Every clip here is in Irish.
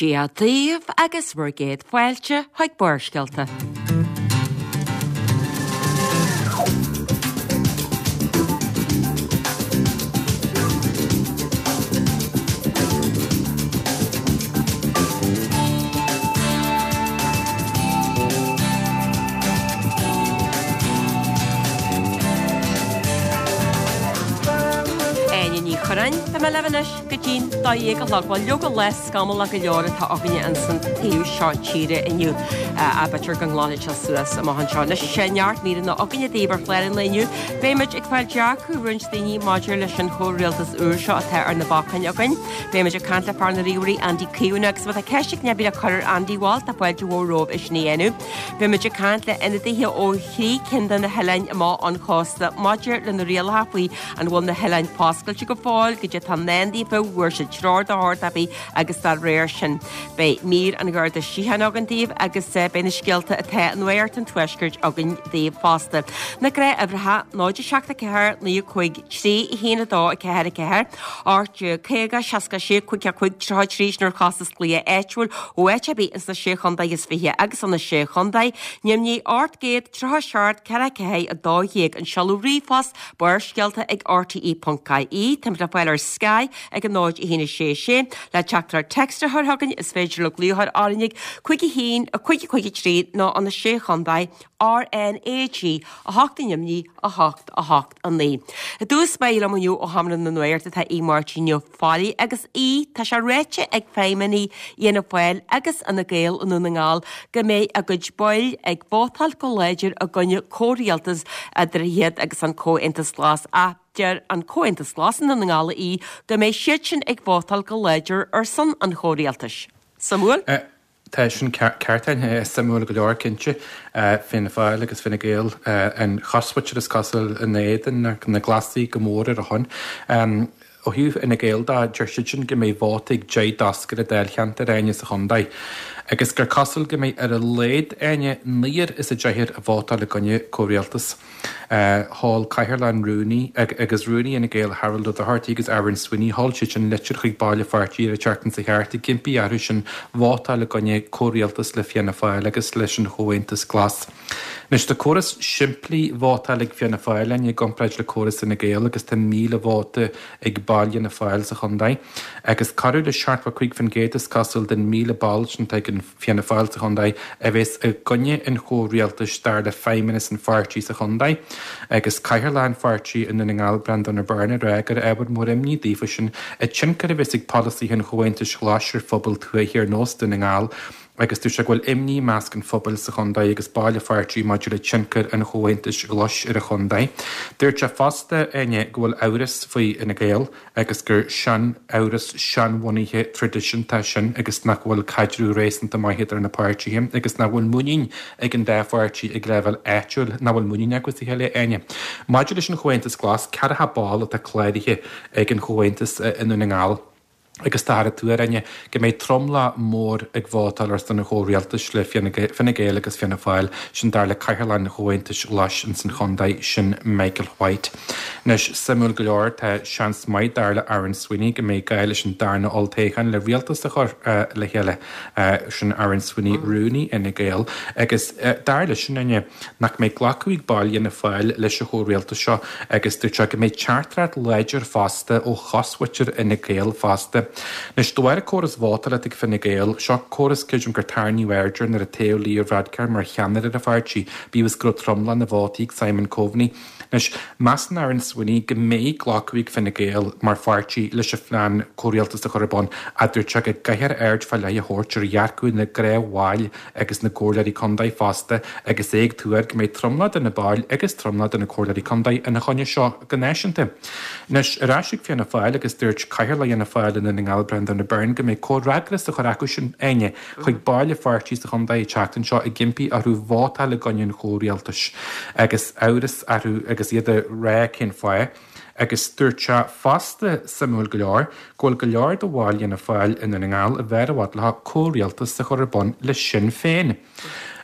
Dia daoibh agus bhur gcéad fáilte chuig Barrscéalta. Áine Ní Churráin, Tá mé libh anois go dtí'n 12 a chlog. Bhuel, leoga lá scamallach go leor atá againne ins an taobh seo tíre inniu. Ach b'fhéidir go nglanfaidh sé suas amach anseo. Anois, tá neart míreanna againne daoibh ar chlár an lae inniu. Beidh muid ag fáil dearcadh roinnt daoine maidir leis an chomhrialtas úr seo atá ar na bacáin againn. Beidh muid ag caint le fear na ríomhairí Andy Keown agus má tá ceist éigin ar bith le cur ar Andy bhuel, tá fáilte mhór romhaibh é sin a dhéanamh. Beidh muid ag caint le ionadaithe ó thrí cinn de na hoileáin amach ón chósta maidir le na rialacha faoi an bhfuil na hoileáin foscailte go fóill, goidé atá i ndán daofa, bhfuair siad treoir de shórt ar bith agus dá réir sin. Beidh mír an Gharda Síochána againn daoibh agus beidh na scéalta atá i Nuacht an Tuaiscirt againn daoibh fosta. Na gnáthuimhreacha, 0 7 4 9 5 3 1 2 4 4, 18 50 66 55 33 sin ar chostas glaoch áitiúil ó áit ar bith ins na Sé Chontae is Fiche agus ó na Sé Chontae, Nimhní 837 4 4 12 an seoladh ríomhphost Barrscéalta ag rte.ie Táimid le fáil ar Sky ag 0 1 6 6 Le teachtaireacht text a chur chugainn is féidir libh glaoch a chur orainn ag 5 1 5 5 3 nó ó na Sé Chontae RnaG 8 i nDoimní 8 8 9. I dtús báire liom inniu ó Sheomra na Nuachta tá Aodh Máirtín Ó Failligh agus Aodh, tá sé ráite ag feidhmeannaigh Fhianna Fáil agus Fhine Gael i nDún na nGall go mbeidh a gcuid baill ag vótáil go láidir i gcoinne comhrialtas idir iad agus an Comhaontas Glas ach deir an Comhaontas Glas i nDún na nGall a Aoidh go mbeidh siadsin ag vótáil go láidir ar son an chomhrialtais. Suimiúil? Tá sin ceart, suimiúil go leor cinnte. Fianna Fáil agus Fine Gael, an chosmhuintir is cosúil ina éadan, na Glasaigh go mór ar a shon. Ó thaobh Fhine Gael de, deir siadsan go mbeidh vóta ag 10 dtoscaire dáilcheantair Áine sa chontae agus gur cosúil go mbeidh ar a laghad Áine naonúr is a deichniúr ag vótáil i gcoinne comhrialtas. Sheol Cathaoirleach an Rúnaí agus Rúnaí Fhine Gael Harold Ó Dochartaigh agus Aaron Sweeney, sheol siad sin litir chuig baill an pháirtí ar an tseachtain seo thart ag impí orthu sin vótáil i gcoinne comhrialtas le Fianna Fáil agus leis an Chomhaontas Glas. Anois tá córas simplí vótáil ag Fianna Fáil Áine i gcomparáid le córas Fhine Gael agus tá 1,000 vóta ag baill Fhianna Fáil sa chontae agus corradh le 75% is cosúil den 1,000 ball sin atá ag an Fianna Fáil sa chontae a bheas i gcoinne an chomhrialtais dar le feidhmeannas an pháirtí sa chontae agus Cathaoirleach an pháirtí i nDún na nGall Breandán Ó Beirn ag rá gur ábhar mór imní daofa sin an tionchar a bheas ag polasaithe an Chomhaontais Ghlais ar phobail tuaithe ar nós Dún na nGall agus dúirt sé go bhfuil imní i measc an phobail sa chontae agus baill an pháirtí maidir le tionchar an Chomhaontais Ghlais ar an chontae. Dúirt sé fosta, Áine, go bhfuil amhras faoi Fhine Gael agus gur sean-amhras seanbhunaithe traidisiúnta é sin agus nach bhfuil caidreamh réasúnta maith idir na páirtithe agus nach bhfuil muinín ag an dá pháirtí ag leibhéal áitiúil, nach bhfuil muinín acu sa chéile, Áine. Maidir leis an Chomhaontas Glas, 40 ball atá cláraithe ag an Chomhaontas i nDún na nGall. agus táthar ag tuar, Áine, go mbeidh tromlach mór ag vótáil ar son an chomhrialtais le Fine Gael agus Fianna Fáil, sin dar le Cathaoirleach an Chomhaontais Ghlais ins an chontae, sin Michael White. Anois, suimiúil go leor, tá seans maith dar le Aaron Sweeney go mbeidh gá leis an darna olltoghchán le rialtas a chur le chéile, sin Aaron Sweeney, rúnaí Fhine Gael, agus dar leis sin, Áine, nach mbeidh glacadh ag baill Fhianna Fáil leis an chomhrialtas seo agus dúirt sé go mbeidh teachtaireacht láidir fosta ó chosmhuintir Fhine Gael fosta. Anois, de bharr an córas vótála atá ag Fine Gael, seo córas creidim gur tarraingíodh aird air nuair a toghadh Leo Varadkar mar cheannaire ar an pháirtí, bíodh is go raibh tromlach na vótaí ag Simon Coveney. Anois, measann Aaron Sweeney go mbeidh glacadh ag Fine Gael mar pháirtí leis an phlean comhrialtas a chur ar bun ach dúirt sé go gcaithfear aird fá leith a thabhairt ar dhearcadh na ngnáthbhaill agus na gcomhairleoirí contae fosta agus é ag tuar go mbeidh tromlach de na baill agus tromlach de na comhairleoirí contae ina choinne seo go náisiúnta. Anois, ar ais ag Fianna Fáil agus dúirt Cathaoirleach Fhianna Fáil i nDún na nGall Breandán Ó Beirn go mbeidh comhfhreagras á chur acusan, Áine, chuig baill an pháirtí sa chontae an tseachtain seo ag impí orthu vótáil i gcoinne an chomhrialtais agus amhras orthu agus iad ag rá cén fáth. Agus dúirt sé fosta, suimiúil go leor, go bhfuil go leor de bhaill Fhianna Fáil i nDún na nGall a b'fhearr i bhfad leo comhrialtas a chur ar bun le Sinn Féin.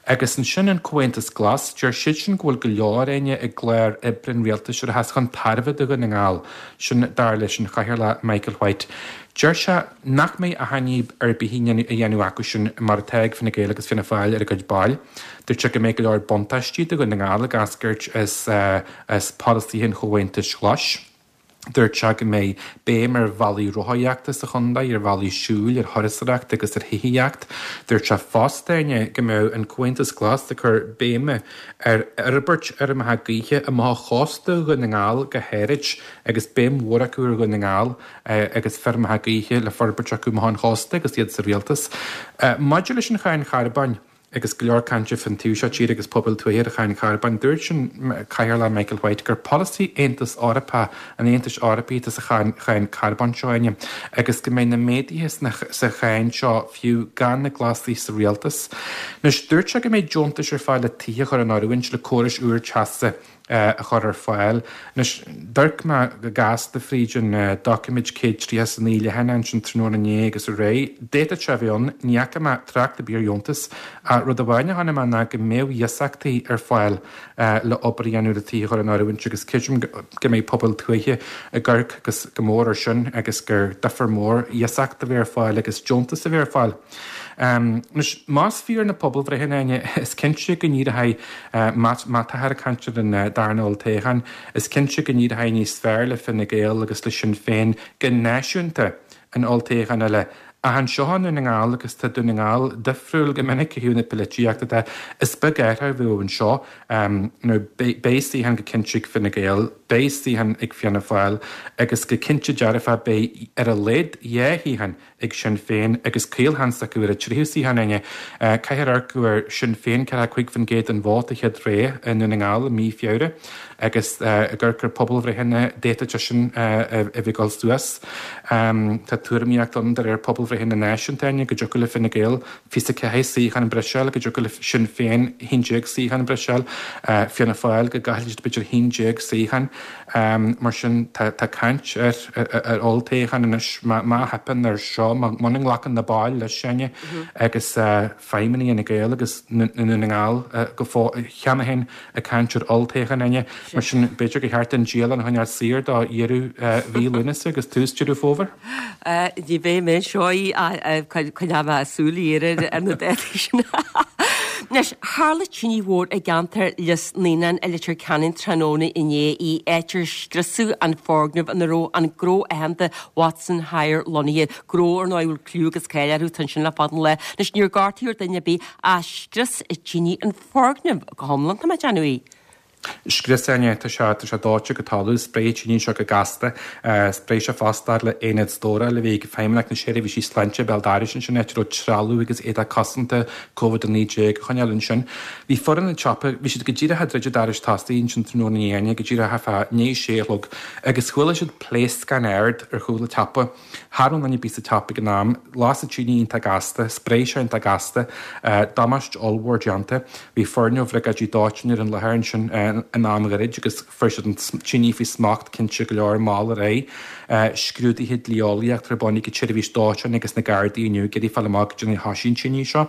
Agus ansin an Comhaontas Glas, deir siadsan go bhfuil go leor, Áine, i gclár oibre an rialtais a rachas chun tairbhe do Dhún na nGall, sin dar leis an Chathaoirleach Michael White. Deir sé nach mbeidh achainí ar bith á dhéanamh acusan mar atá ag Fine Gael agus Fianna Fáil ar a gcuid baill. Dúirt sé go mbeidh go leor buntáistí do Dhún na nGall ag eascairt as polasaithe an Chomhaontais Ghlais. Dúirt sé go mbeidh béim ar bhealaí rothaíochta sa chontae, ar bhealaí siúil, ar thurasóireacht agus ar thithíocht. Dúirt sé fosta, Áine, go mbeadh an Comhaontas Glas ag cur béime ar fhorbairt fheirmeacha gaoithe amach ó chósta Dhún na nGall go háirid agus béim mhór acu ar Dhún na nGall agus feirmeacha gaoithe le forbairt acu amach ón chósta agus iad sa rialtas. Maidir leis an cháin charbóin, Agus go leor cainte fán taobh seo tíre agus pobail tuaithe ar cháin charbóin, dúirt an Cathaoirleach Michael White gur polasaí Aontas Eorpach an Aontais Eorpaigh atá sa cháin carbóin seo, Áine, agus go mbeidh na méaduithe sa cháin seo fiú gan na Glasaigh sa rialtas. Anois, dúirt sé go mbeidh deontais ar fáil le tithe a chur in oiriúint le córais úr teasa a chur ar fáil. Anois, d'amharc mé go gasta fríd an doiciméid 139 leathanach ansin tráthnóna inné agus aréir. D'fhéadfadh sé a bheith ann, ní fhaca mé trácht ar bith ar dheontas, ach rud amháin a chonaic mé ná go mbeadh iasachtaí ar fáil le obair a dhéanamh le tithe a chur in oiriúint agus creidim go mbeidh pobail tuaithe ag amharc go mór air sin agus gur difear mór iasacht a bheith ar fáil agus deontas a bheith ar fáil. Anois, más fíor na pobalbhreitheanna, Áine, is cinnte go n-éireoidh, má táthar ag caint ar an darna olltoghchán, is cinnte go n-éireoidh níos fearr le Fine Gael agus le Sinn Féin go náisiúnta in olltoghchán eile. Ach anseo i nDún na nGall, agus tá Dún na nGall difriúil go minic ó thaobh na polaitíochta de, is beag athrú a bheadh anseo. Nó beidh suíochán go cinnte ag Fine Gael, beidh suíochán ag Fianna Fáil agus go cinnte dearfa beidh ar a laghad dhá shuíochán ag Sinn Féin agus caolsheans acu ar an tríú suíochán, Áine. Caithfear amharc go bhfuair Sinn Féin 45% den vóta chéad rogha i nDún na nGall i mí Feabhra agus ag amharc ar pobalbhreitheanna d'fhéadfadh sé sin a bheith ag dul suas. Tá tuairimíocht ann de réir pobalbhreitheanna náisiúnta, Áine, go dtiocfadh le Fine Gael 24 suíochán breise a fháil, go dtiocfadh le Sinn Féin 11 suíochán breise a fháil, Fianna Fáil go gcaillfidh siad b'fhéidir 11 suíochán. Mar sin, tá caint ar olltoghchán anois má theipeann air seo, muna nglacann na baill leis, Áine, agus feidhmeannaigh Fhine Gael agus i nDún na nGall go fóill cheana féin ag caint ar olltoghchán, Áine. Mar sin, b'fhéidir gur cheart an dialann a choinneáil saor do dheireadh mhí Lúnasa agus tús Deireadh Fómhair. Ní bheidh mé anseo coinneoidh mé súil ghéar ar na dátaí sin. Anois, tharla tine mhór i gceantar Lios Naíonán i Leitir Ceanainn tráthnóna inné, í áit ar scriosadh an foirgneamh ina raibh an gnó aitheanta Watson Hire lonnaithe, gnó ar ndóigh a bhfuil cliú agus cáil orthu, tá ansin le fada an lá. Anois, níor gortaíodh duine ar bith ach scrios an tine an foirgneamh go hiomlán, tá mé ag déanamh í. Scrios Áine, tá sé, tá sé dóite go talamh, spréigh an tine seo go gasta. Spréigh sé fosta le aonad stórála a bhí ag Feidhmeannacht na Seirbhísí Sláinte béal dorais ansin, áit a raibh trealamh agus éadach cosanta Covid-19 á choinneáil ansin. Bhí foireann an tsiopa, bhí siad go díreach ag druid an dorais tosaigh ansin tráthnóna inné, Áine, go díreach fá ndiaidh sé a chlog agus chuala siad pléascán ard ar chúl an tsiopa. Cha raibh duine ar bith sa tsiopa ag an am. Las an tine iontach gasta, spréigh sé iontach gasta, damáiste ollmhór déanta. Bhí foirne ó bhriogáidí dóiteáin ar an láthair ansin in am ghairid agus fuair siad an tine faoi smacht cinnte go leor mall ar aghaidh. Scrúduithe dlí-eolaíochta ar bun ag an tseirbhís dóiteáin agus na Gardaí inniu ag iarraidh fáil amach goidé mar a thoisigh an tine seo.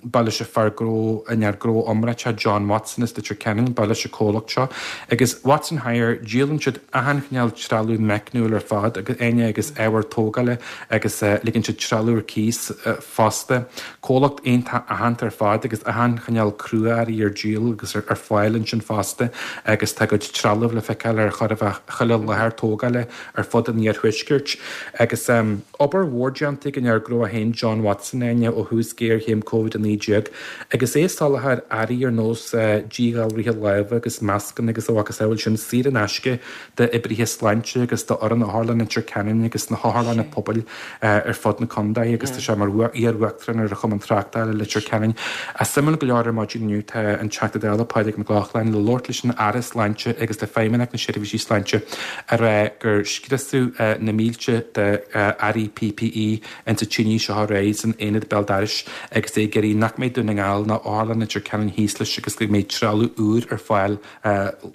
Ba leis an fear gnó, an fhear gnó iomráiteach John Watson as Leitir Ceanainn, ba leis an comhlacht seo. Agus Watson Hire, díolann siad achan chineál trealamh meicniúil ar fad, Áine, agus ábhair tógála agus ligeann siad trealamh ar cíos fosta. Comhlacht iontach aitheanta ar fad agus achan chineál crua-earraí ar díol agus ar fáil ansin fosta agus tá a gcuid trealamh le feiceáil ar chóir a bheith chuile láthair tógála ar fud an iarthuaiscirt. Agus obair mhór déanta ag an fhear gnó é féin, John Watson, Áine, ó thús géarchéim Covid-19 agus é ag soláthar earraí ar nós díghalraithe láimhe agus mascanna agus a mhacasamhail sin saor in aisce d'oibrithe sláinte agus d'fhoireann Otharlann Leitir Ceanainn agus na hotharlanna pobail ar fud na contae agus tá sé mar iar-uachtarán ar an Chumann Tráchtála i Leitir Ceanainn. Suimiúil go leor ar maidin inniu tá an Teachta Dála Pádraig Mac Lochlainn. Gallaglainne le labhairt leis an Aire Sláinte agus le Feidhmeannacht na Seirbhísí Sláinte ag rá gur scriosadh na mílte de earraí PPE insa tine seo aréir san aonad béal dorais agus é ag iarraidh nach mbeidh Dún na nGall ná Otharlann Leitir Ceanainn thíos leis agus go mbeidh trealamh úr ar fáil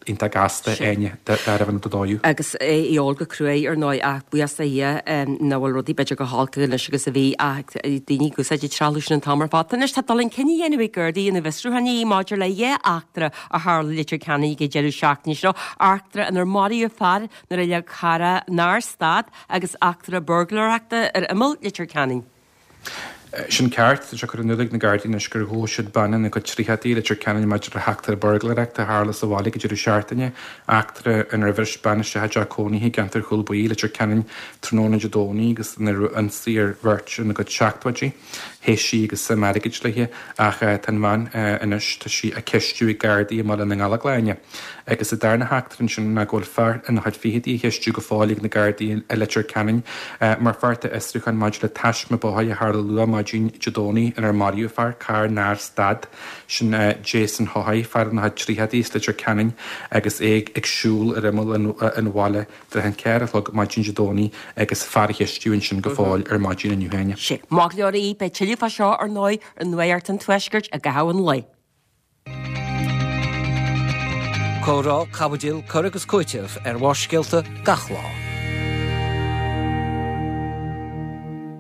iontach gasta, Áine, dá raibh an dóú. Agus é ag ól go cruaidh, ar ndóigh, ach buíochas do Dhia nach bhfuil rudaí b'fhéidir chomh holc anois agus a bhí ach daoine ag úsáid an trealamh sin an t-am ar fad. Anois tá dul chun cinn á dhéanamh ag Gardaí ina bhfiosrúchán maidir le dhá eachtra a tharla i Leitir Ceanainn ag an deireadh seachtaine seo, eachtra inar maraíodh fear nuair a leag carr nár stad agus eachtra buirgléireachta ar imeall Leitir Ceanainn. Sin ceart. Tá sé curtha in iúl ag na Gardaí anois gur ghabh siad bean ina cuid tríochaidí i Leitir Ceanainn maidir le heachtra buirgléireachta a tharla sa bhaile ag an deireadh seachtaine, eachtra inar bhris bean isteach i dteach cónaithe i gceantar Chúil Buí, Leitir Ceanainn, tráthnóna Dé Domhnaigh agus ina raibh ionsaí ar bheirt ina gcuid seachtóidí. Theith sí agus suim airgid léi ach tá an bhean anois, tá sí á ceistiú ag Gardaí i mBaile na nGallóglach. Agus an darna heachtra ansin ná go bhfuil fear ina chuid fichidí á cheistiú go fóill ag na Gardaí i Leitir Ceanainn mar pháirt d'fhiosrúchán maidir le taisme bóthair a tharla luath maidin Dé Domhnaigh inar maraíodh fear, carr nár stad. Sin Jason Haughey, fear ina chuid tríochaidí as Leitir Ceanainn agus é ag siúl ar imeall an bhaile tráth an ceathair a chlog maidin Dé Domhnaigh agus fear á cheistiú ansin go fóill ar maidin inniu Áine. Sea, maith go leor í. Beidh tuilleadh fá seo, ar ndóigh, ar Nuacht an Tuaiscirt i gcaitheamh an lae. Comhrá, caibidil, cur agus cúiteamh ar Bharrscéalta gach lá.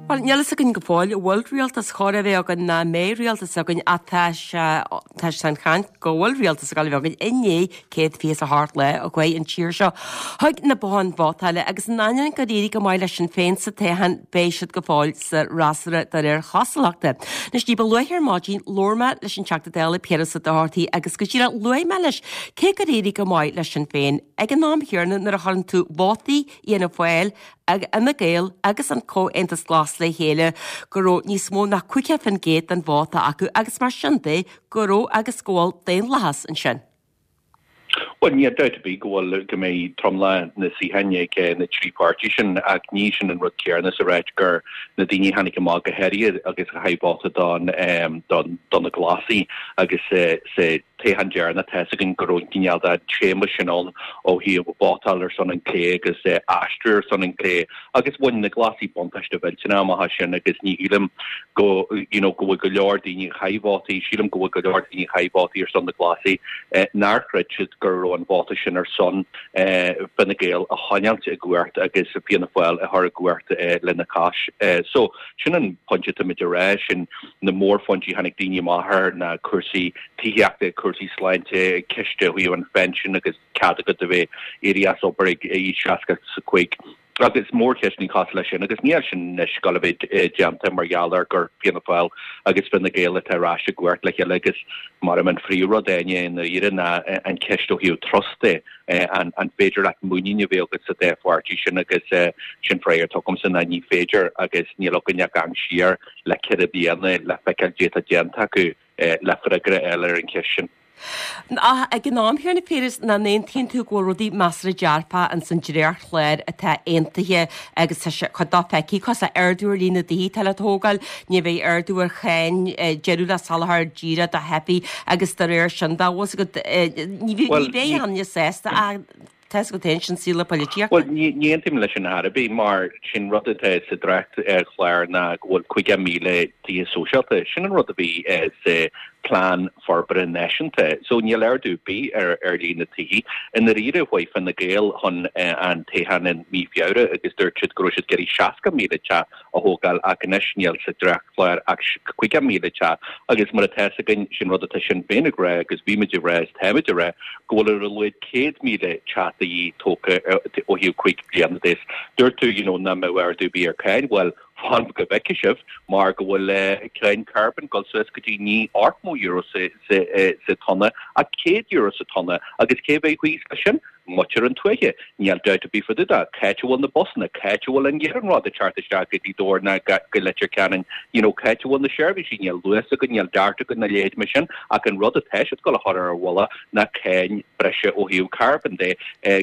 Bhuel, níl fhios againn go fóill an bhfuil rialtas chóir a bheith againn ná an mbeidh rialtas againn ach tá sé, tá sé an chaint go bhfuil rialtas ag dul a bheith againn i ndiaidh 128 lá a chuaigh an tír seo chuig na botháin vótála agus in ainneoin gur éirigh go maith le Sinn Féin sa toghchán beidh siad go fóill sa fhreasúra de réir chosúlachta. Anois ní ba luaithe ar maidin labhair mé leis an Teachta Dála Piaras Ó Dochartaigh agus go díreach luaigh mé leis cé gur éirigh go maith le Sinn Féin ag an am chéanna nuair a chuireann tú vótaí Fhianna Fáil Fhine Gael agus an Comhaontas Glas le chéile go raibh níos mó ná 50% den vóta acu agus mar sin de go raibh agus go bhfuil daonlathas ansin. Bhuel, níl dabht ar bith go bhfuil, go mbeidh tromlach na suíocháin ag na trí pháirtí sin ach ní sin an rud céanna is a ráit gur na daoine a tháinig amach go háirithe agus a chaith vóta don, don, do na Glasaigh agus sa toghchán deireanach tá fhios againn go raibh cineál de téama sin ann ó thaobh vótáil ar son an clé agus aistriú ar son an clé agus bhain na Glasaigh buntáiste mhillteanach amach as sin agus ní shílim go you know go bhfuil go leor daoine a chaith vótaí, sílim go bhfuil go leor daoine a chaith vótaí ar son na Glasaigh nár chreid siad go raibh an vóta sin ar son Fine Gael a choinneáilt i gcumhacht agus Fianna Fáil a chur i gcumhacht lena chois. So sin an pointe atáimid a rá, sin na mórphointí a tháinig daoine amach air ná cúrsaí tithíochta, cúrsaí sláinte, ceist ó thaobh an phensin agus cead agat a bheith éirí as obair ag aois 65 agus mórcheisteanna cosúil leis sin agus níl sin anois ag gabháil a bheith déanta mar gheall ar gur Fianna Fáil agus Fine Gael atá ar ais i gcumhacht le chéile agus mar an phríomhrud Áine i ndáiríre ná an cheist ó thaobh trust de, an féidir leat muinín a bheith agat sa dá pháirtí sin agus sin freagra atá agamsa ná ní féidir agus níl againn ach amharc siar le ceithre bliana le feiceáil caidé atá déanta acu le freagra a fháil ar an cheist sin. Ach ag an am chéanna, Piaras, nach n-aontaíonn tú go bhfuil rudaí measartha dearfach ins an dréachtchlár atá aontaithe agus tá sé cuid dó feicthe cosúil le ardú ar líon na dtithe atá le tógáil, ní bheidh ardú ar cháin, deireadh le soláthar díreach do theifigh agus dá réir sin dá bhfuil agat, ní bheidh aon duine sásta ach Tá fhios agat féin, sin saol na polaitíochta. Bhuel, ní aontaím leis sin ar chor ar bith, mar sin rud atá sa dréachtchlár ná go bhfuil 50,000 tithe sóisialta. Sin an rud a bhí sa Plean Forbartha Náisiúnta. So níl ardú ar bith ar líon na tithe. I ndáiríre, chuaigh Fine Gael chun an toghcháin i mí Feabhra agus dúirt siad go raibh siad ag iarraidh 60,000 teach a thógáil ach anois níl sa dréachtchlár ach 50,000 teach agus mar atá fhios againn, sin rud atá Sinn Féin ag rá agus bhí muid ag rá is táimid ag rá go bhfuil ar a laghad 100,000 teach de dhíth tógtha ó thaobh 5 bliana de. Dúirt tú you know nach mbeadh ardú ar bith ar cháin, bhuel fan go bhfeicfidh sibh mar go bhfuil cáin carbon ag dul suas go dtí ní €80 sa tonna ach €100 sa tonna agus cé bheidh thíos leis sin? Muintir an tuaithe. Níl dabht ar bith fá dtaobh de. C'áit a bhfuil na busanna? C'áit a bhfuil an iarnród ag teacht isteach go Gaoth Dobhair ná go Leitir Ceanainn? You know, c'áit a bhfuil na seirbhísí? Níl Luas againn, níl DART againn ná a leithéid mar sin ach an rud atá siad ag dul a chur ar an mhullach ná cáin breise ó thaobh carbon de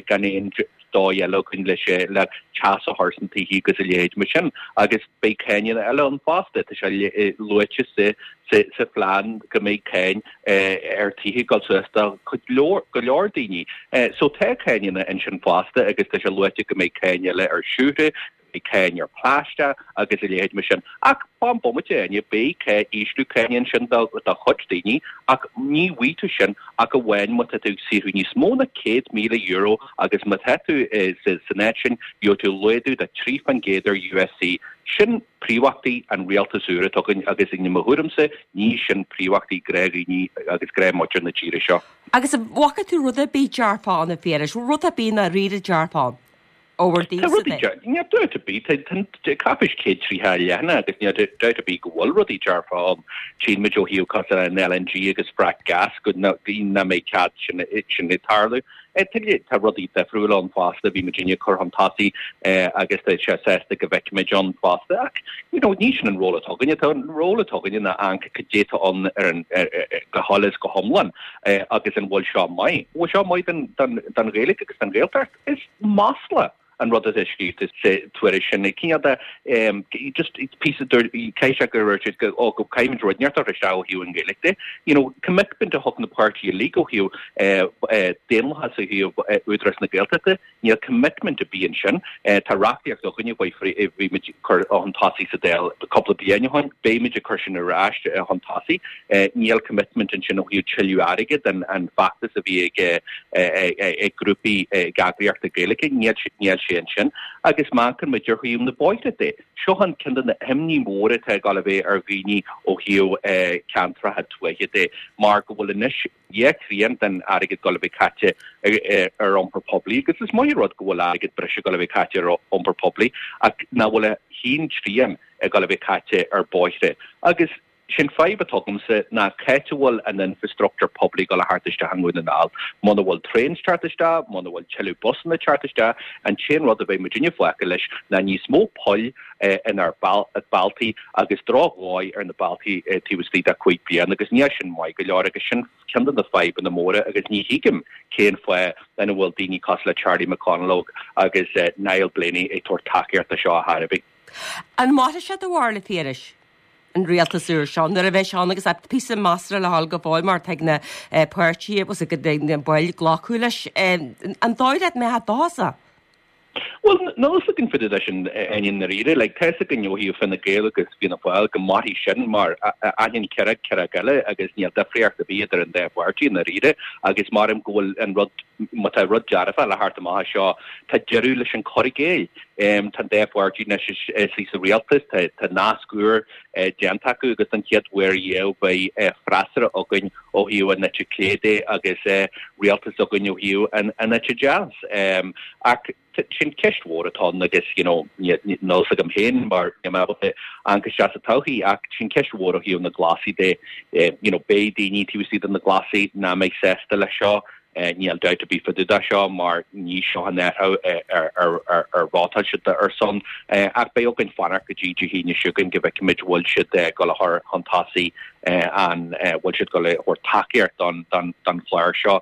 gan aon. dóigh eile againn leis le teas a chur sna tithe agus a leithéid mar sin agus beidh cáineanna eile ann fosta. Tá sé luaite sa sa phlean go mbeidh cáin ar tithe ag dul suas do go leor daoine. So tá cáineanna ansin fosta agus tá sé luaite go mbeidh cáin eile ar siúcra, go mbeidh cáin ar phlaisteach agus a leithéid mar sin. Ach fan bomaite, Áine, beidh ísliú cáine ansin do chuid daoine ach ní bhfaighidh tú sin ach amháin má tá tú ag saothrú níos mó ná €100,000 agus má tá tú san áit sin, gheobhaidh tú laghdú de 3% ar USC. Sin príomhachtaí an rialtas úr atá againn agus i mo thuairimse ní sin príomhachtaí gnáthdhaoine agus gnáthmhuintir na tíre seo. Agus an bhfaca tú rud ar bith dearfach ann a Phiarais, rud ar bith ndáiríre dearfach ann ó bhur Tá dtaobhsa rudaí de? dear, níl dabht ar bith, tá cáipéis 130 leathanach agus níl dabht ar bith go bhfuil rudaí dearfa ann. Tchíonn muid ó thaobh cosúil le an LNG agus frac gas go nach mbeidh cead sin ag tarlú. Tá rudaí difriúla ann fosta, bhí muidinne ag cur chun tosaigh agus tá sé sásta go bhfeicfimid ann fosta. Ach, you know, ní sin an ról atá againne. Tá an ról atá againne ná amharc cad é atá ann ar an, go huile is go hiomlán agus an bhfuil seo maith. Bhfuil seo maith don Ghaeilge agus don Ghaeltacht? Is masla an rud atá scríofa sa tuairisc sin. Cineál de, just píosa, caithfidh sé go raibh siad go, ó, go caithfimid rud inteacht a chur isteach ó thaobh an Ghaeilge de. You know, commitment a thug na páirtithe uilig ó thaobh daonlathas ó thaobh Údarás na Gaeltachta, níl commitment ar bith ansin. Tá reachtaíocht againne a bhí muid ag cur chun tosaigh sa Dáil cúpla bliain ó shin, beidh muid ag cur sin ar ais chun tosaigh. Níl commitment ansin ó thaobh tuilleadh airgid, an feachtas a bhí ag ag grúpaí ag eagraíochtaí Gaeilge, níl sé ansin. Agus má amharcann muid ar thaobh na bóithre de, seo an ceann de na himní móra atá ag dul a bheith ar dhaoine ó thaobh ceantracha tuaithe de, mar go bhfuil anois dhá thrian den airgead ag dul a bheith caite ar iompar poiblí, agus is maith an rud go bhfuil airgead breise ag dul a bheith caite ar iompar poiblí, ach nach bhfuil a haon trian ag dul a bheith caite ar bóithre. Agus. Sé'n fadhb atá agamsa ná c'áit a bhfuil an infrastructúr poiblí ag dul a theacht isteach i nDún na nGall. Muna bhfuil traeins teacht isteach, muna bhfuil tuilleadh busanna teacht isteach, an t-aon rud a bheidh muidinne fágtha leis ná níos mó poill inár bealtaí agus drochdhóigh ar na bealtaí taobh istigh de chúig bliana agus níl sin maith go leor agus sin ceann de na fadhbanna móra agus ní thuigim cén fáth ina bhfuil daoine cosúil le Charlie McConalogue agus Niall Blaney ag tabhairt tacaíocht do seo a chor ar bith. An mairfidh sé do bharúil, a Phiarais? an rialtas úr seo nuair a bheidh sé ann agus píosa measartha le dhul go fóill mar tá ag na páirtithe agus ag na baill glacadh leis. An dóigh leat go mbeidh sé dóchasach? Bhuel, níl a fhios againn fá dtaobh de sin i ndáiríre. Like, tá a fhios againn ó thaobh Fine Gael agus Fianna Fáil go mairfidh sin mar aithníonn Ciarraí Ciarraí eile agus níl difríocht ar bith idir an dá pháirtí i ndáiríre agus maram go bhfuil an rud, má tá rud dearfach le theacht amach as seo, tá deireadh leis an cur i gcéill. Tá an dá pháirtí anois istigh sa rialtas, tá nasc úr déanta acu agus don chéad uair riamh beidh freasúra againn ó thaobh an eite chlé de agus rialtas againn ó thaobh an eite deas. Ach sin ceist mhór atá ann agus you know níl a fhios agam féin mar níl mé ábalta amharc isteach sa todhchaí ach sin ceist mhór ó thaobh na Glasaí de. You know beidh daoine taobh istigh de na Glasaí nach mbeidh sásta leis seo. Níl dabht ar bith fá dtaobh de seo mar ní seo an athrú ar vótáil siad ar son. Ach beidh againn fanacht go dtí Dé hAoine seo chugainn go bhfeicfimid bhfuil siad ag dul a chur chun tosaigh an bhfuil siad ag dul a thabhairt tacaíocht don chlár seo.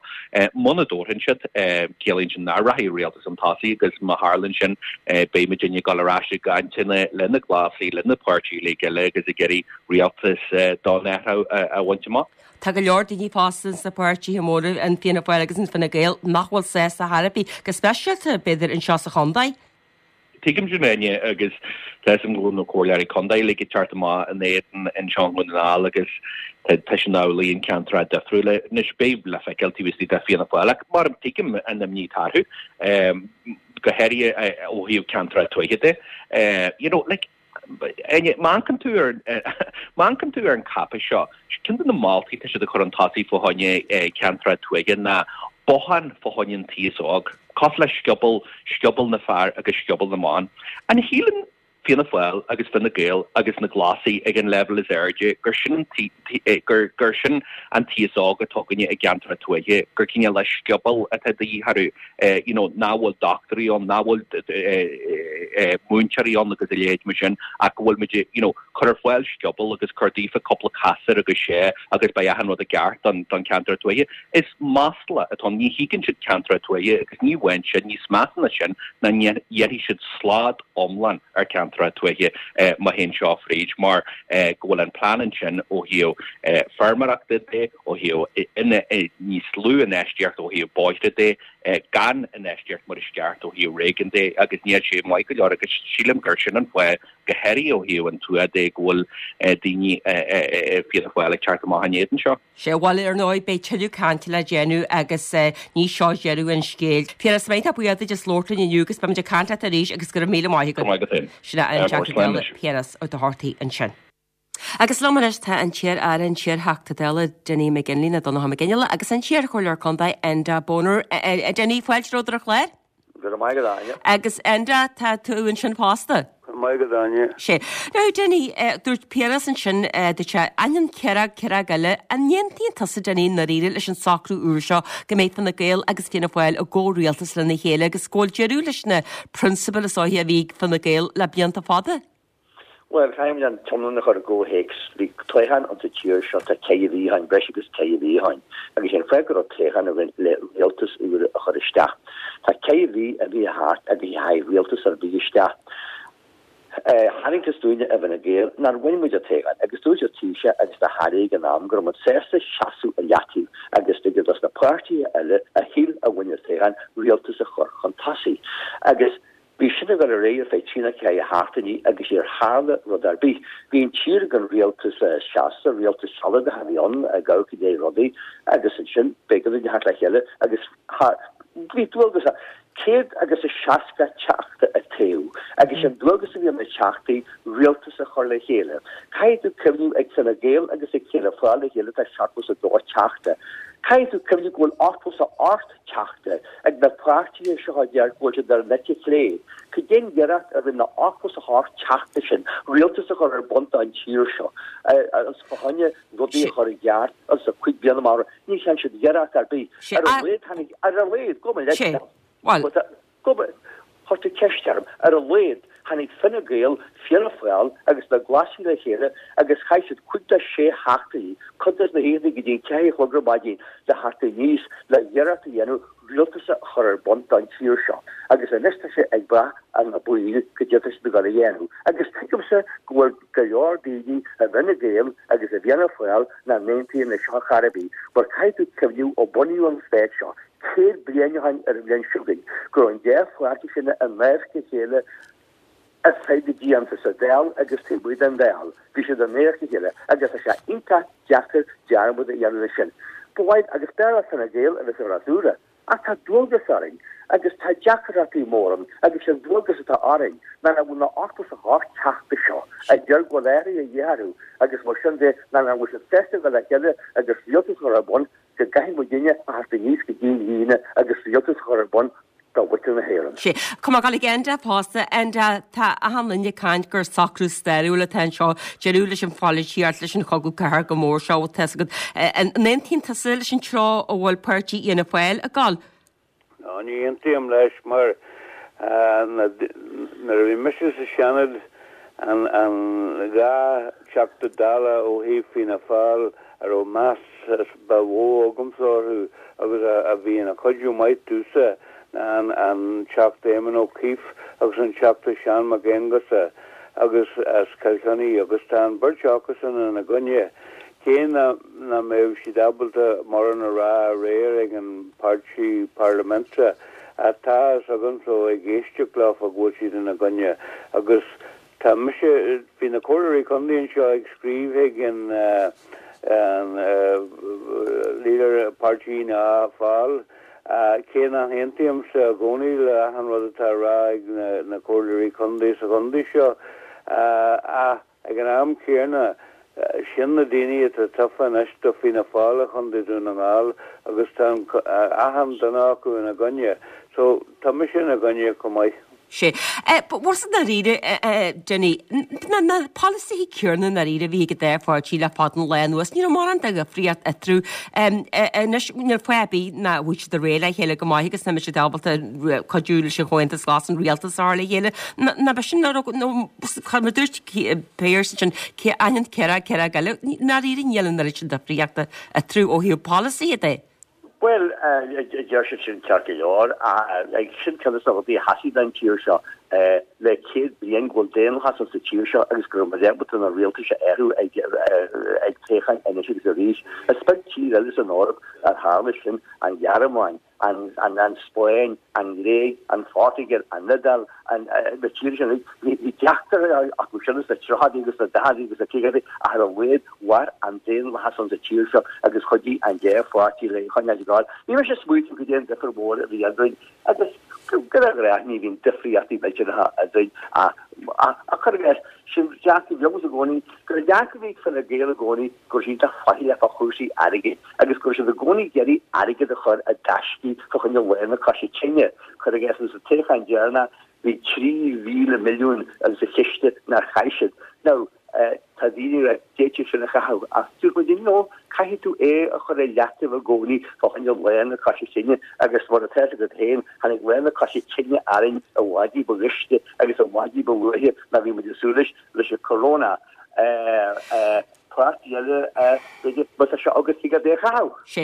Muna dtabharfaidh siad, ciallaíonn sin nach rachaidh rialtas chun tosaigh agus má tharlaíonn sin beidh muidinne ag dul ar ais i gcainteanna le na Glasaigh, le na páirtithe uilig eile agus ag iarraidh rialtas don athrú a bhaint amach. Tá go leor daoine fosta sna páirtithe móra, an Fianna Fáil agus an Fine Gael, nach bhfuil sásta chor ar bith, go speisialta, b'fhéidir, anseo sa chontae. Tuigim sin, Áine, agus tá fhios agam go bhfuil na comhairleoirí contae uilig ag teacht amach ina éadan anseo i nDún na nGall agus tá sin amhlaidh in ceantracha difriúla. Anois, beidh le feiceáil taobh istigh de Fianna Fáil ach mar tuigim an imní atá orthu, go háirithe ó thaobh ceantracha tuaithe de. You know, like, Áine, má amharcann tú ar má amharcann tú ar an cáipéis seo, ceann de na moltaí atá siad ag cur chun tosaigh fá choinne ceantracha tuaithe ná botháin fá choinne an t-aos óg, cosúil le scioból, scioból na fear agus scioból na mban. An shíleann. Fianna Fáil agus Fine Gael agus na Glasaigh ag an leibhéal is airde, gur sin an gur gur sin an t-aos óg atá againne i gceantracha tuaithe, gur cineál de scioból atá de dhíth orthu, you know, nach bhfuil dochtúirí ann, nach bhfuil múinteoirí ann agus a leithéid mar sin, ach go bhfuil muid, you know, cur ar fáil scioból agus cur daofa cúpla casúr agus sé agus beidh achan rud i gceart don don cheantar tuaithe. Is masla atá ann, ní thuigeann siad ceantracha tuaithe agus ní amháin sin, níos measa ná sin ná ndéanfaidh siad slad iomlán ar cheantracha tuaithe má théann seo fríd mar go bhfuil an plean ansin ó thaobh feirmeoireachta de, ó thaobh níos lú infheistíocht ó thaobh bóithre de, gan infheistíocht mar is ceart ó thaobh réigiún de agus níl sé maith go leor agus sílim gur sin an fáth go háirithe ó thaobh an tuath de go bhfuil daoine Fianna Fáil ag teacht amach in éadan seo. Sea, bhuel, ar ndóigh, beidh tuilleadh cainte le déanamh agus ní seo deireadh an scéil. Piaras, iontach buíoch duit as labhairt linn inniu agus beimid ag caint leat arís agus go raibh míle maith agat. Go raibh maith agat féin. Sin é an Teachta Dála Piaras Ó Dochartaigh ansin. Agus liom anois tá an t-iar-aire, an t-iar-Theachta Dála Dinny McGinley, nó Donnchadh Mac Fhionnghaile, agus an t-iar-Chomhairleoir Contae Enda Bonner. Dinny, fáilte romhat ar an chlár. Go raibh maith agat, Áine. Agus Enda, tá tú ansin fosta? Go raibh maith agat, Áine. Sea. Now, Dinny, dúirt Piaras ansin, dúirt sé, ainneoin ciaróg, ciaróg eile, an n-aontaíonn tusa, Dinny, i ndáiríre leis an socrú úr seo go mbeidh Fine Gael agus Fianna Fáil i gcomhrialtas lena chéile agus go bhfuil deireadh leis na prionsabail is dóiche a bhí ag Fine Gael le blianta fada? Bhuel, caithfimid an t-iomlán a chur i gcomhthéacs. Bhí toghchán ann sa tír seo, tá ceithre mhí ó shin, breis agus ceithre mhí ó shin, agus sé an fáth go raibh toghchán againn le rialtas úr a chur isteach. Tá ceithre mhí imithe thart agus níor tháinig rialtas ar bith isteach. Tharraingteas dúinne i bhFine Gael nár bhain muid an toghchán agus dúirt an Taoiseach agus na hairí ag an am go raibh muid sásta seasamh i leataobh agus ligean dos na páirtithe eile a shíl a bhain an toghchán rialtas a chur chun tosaigh. Agus Bhí sin ag dul ar aghaidh ar feadh trí nó ceithre sheachtainí agus níor tharla rud ar bith. Bhí an tír gan rialtas seasta, rialtas sealadach a bhí ann, ag amharc i ndiaidh rudaí agus ansin b'éigean dúinn theacht le chéile agus bhí dualgas 100 agus a 60 teachta a toghadh agus an dualgas a bhí ar na teachtaí rialtas a chur le chéile. Caithfidh tú cuimhniú ag Fine Gael agus ag Fianna Fáil le chéile tá 72 teachta. Caithfidh tú cuimhniú go bhfuil 88 teachta ag na páirtithe seo a deir go bhfuil siad ar an eite chlé. Cad é an iarracht a rinne na 88 teachta sin rialtas a chur ar bun don tír seo agus fá choinne rudaí a chur i gceart anso cúig bliana amach romhainn? Ní dhearna siad iarracht ar bith. Ar a laghad tháinig, ar a laghad, gabh mo leithscéal. Gabh mo, chuir tú ceist orm. Ar a laghad tháinig Fine Gael, Fianna Fáil agus na Glasaigh le chéile agus chaith siad cúig nó sé sheachtainí, cuid de na hoícheanta go dtí an ceathair a chlog ar maidin le theacht aníos le iarracht a dhéanamh rialtas a chur ar bun don tír seo. Agus anois tá sé ag brath ar na baill cad é atá siad ag dul a dhéanamh. Agus tuigimse go bhfuil go leor daoine i bhFine Gael agus i bhFianna Fáil nach n-aontaíonn leis seo chor ar bith mar caithfidh tú cuimhniú ó bunaíodh an stát seo, 100 bliain ó shin ar an bhliain seo chugainn, go raibh an dá pháirtí sin i ndáimh a chéile ar feadh na blianta, sa Dáil agus taobh amuigh den Dáil. Bhí siad i ndáimh a chéile agus tá sé iontach deacair dearmad a dhéanamh de sin. Ba mhaith agus b'fhearr le Fine Gael a bheith sa bhfreasúra, ach tá dualgas orainn agus tá deacrachtaí móra ann agus an dualgas atá orainn ná nach bhfuil na 88 teachta seo a deir go bhfuil athruithe de dhíth orthu agus mar sin de ná nach bhfuil siad sásta a dhul le chéile agus rialtas a chur ar bun go gcaithfidh muidinne a theacht aníos go dtí an Aoine agus rialtas a chur ar bun do mhuintir na hÉireann. Sea. Tá mé ag dul ag Enda fosta. Enda, tá achan duine ag caint gur socrú stairiúil atá anseo, deireadh leis an pholaitíocht, leis an chogadh cathartha go mór seo, tá 'fhios agat. An aontaíonn tusa leis an treo a bhfuil páirtí Fhianna Fáil ag dul? Ná ní aontaím leis mar nuair a bhí mise sa Seanad an 2 Teachta Dála ó thaobh Fianna Fáil a raibh meas ba mhó agamsa orthu agus a bhí ina chuidiú maith domhsa ná an Teachta Éamon Ó Cuív agus an Teachta Seán Mac Aonghusa agus as Cill Chainnigh agus tá an bheirt acusan ina gcoinne. Cé nach mbeadh siad ábalta mórán a rá aréir ag an páirtí parlaiminte, ach tá a fhios agamsa ó ag éisteacht leofa go bhfuil siad ina gcoinne. Agus tá mise, bhí na comhairleoirí contae anseo ag scríobh chuig an leader páirtí Fhianna Fáil, cé nach aontaímse i gcónaí le achan rud atá á rá ag na comhairleoirí contae sa chontae seo, ach. Ag an am céanna, sin na daoine atá tofa anois do Fianna Fáil i Chontae Dún na nGall agus tá achan duine acu ina gcoinne. So, tá mise ina gcoinne chomh maith. Sea. Bhuel i ndáiríre, Dinny, na polasaithe céanna i ndáiríre a bhí ag an dá pháirtí le fada an lá anuas, ní raibh mórán de dhifríocht eatarthu. Anois, níl fáth ar bith nach bhfuil siad ag réidh le chéile go maith agus nach mbeidh siad ábalta cuidiú leis an Chomhaontas Glas an rialtas a chur le chéile. Ná beidh sin, nó mar a dúirt Pearse ansin, ainneoin céard céard eile, i ndáiríre níl an oiread sin difríochta eatarthu ó thaobh polasaithe de. Bhuel, deir siad sin ceart go leor, ach sin ceann de na rudaí a sheasfaidh don tír seo le 100 bliain, go bhfuil daonlathas sa tír seo agus go raibh muid ábalta na rialtais a athrú ag toghcháin anois agus arís. Is beag tír eile san Eoraip ar tharla sin, an Ghearmáin, an Spáinn, an Ghréig, an Phortaingéil, an Iodáil, na tíortha sin uilig, bhí deacrachtaí acu sin sna tríochaidí agus sna daicheadaí agus sna caogaidí ach ar a laghad mhair an daonlathas ann sa tír seo agus chuidigh an dá pháirtí le coinneáil ag gabháil. Ní raibh sé smaoitiú goidé an difear mór a bhí eadrainn agus go deimhin ní bhíonn difríochtaí millteanacha eadrainn ach cuir i gcás, sin dearcadh a bhí agamsa i gcónaí, gur an dearcadh a bhí ag Fine Gael i gcónaí go raibh siad iontach faichilleach fá chúrsaí airgid agus go raibh siad i gcónaí ag iarraidh airgead a chur i dtaiscí fá choinne lá na coise tinne. Cuir i gcás, sa toghchán deireanach bhí 3,000 milliún sa chiste nár chaith siad. Now, tá daoine ag rá d'fhéadfaí sin a chaitheamh ach dúirt muid no, caithfidh tú é a chur i leataobh i gcónaí fá choinne lá na coise tinne agus mar atá fhios agat féin, tháinig lá na coise tinne orainn i bhfad ní ba ghaiste agus i bhfad ní ba luaithe ná bhí muid ag súil leis, leis an corona. Páirtí eile, b'fhéidir, má tá sé agat thig leat é a chaitheamh. Sé.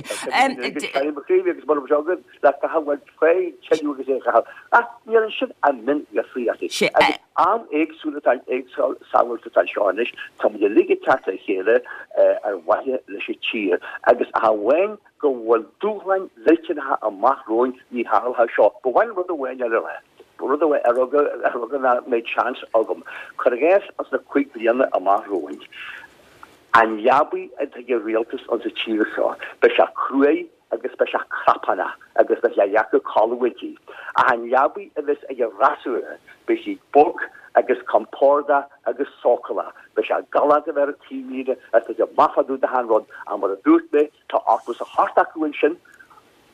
Agus mura bhfuil sé agat le caitheamh, bhuel, faigh tuilleadh agus é a chaitheamh. Ach níl ansin ach miondifríochtaí. Sé. Agus am éagsúil atá, éagsúlacht atá anseo anois, tá muid uilig ag teacht le chéile ar mhaithe leis an tír. Agus ach amháin go bhfuil dúshláin mhillteanacha amach romhainn, ní tharlóidh seo. Ba mhaith liom rud amháin eile a rá, rud amháin ar eagla nach mbeidh seans agam. Cuir i gcás ins na 5 bliana amach romhainn, an leabaidh atá ag an rialtas insa tír seo, beidh sé cruaidh agus beidh sé crapánach agus beidh sé deacair codladh inti. Ach an leabaidh a bheas ag an fhreasúra, beidh sí bog agus compordach agus sócúlach. Beidh sé galánta a bheith ar an taobhlíne agus beidh sé maith fá dtaobh d'achan rud. Ach mar a dúirt mé, Tá 88 acu ansin.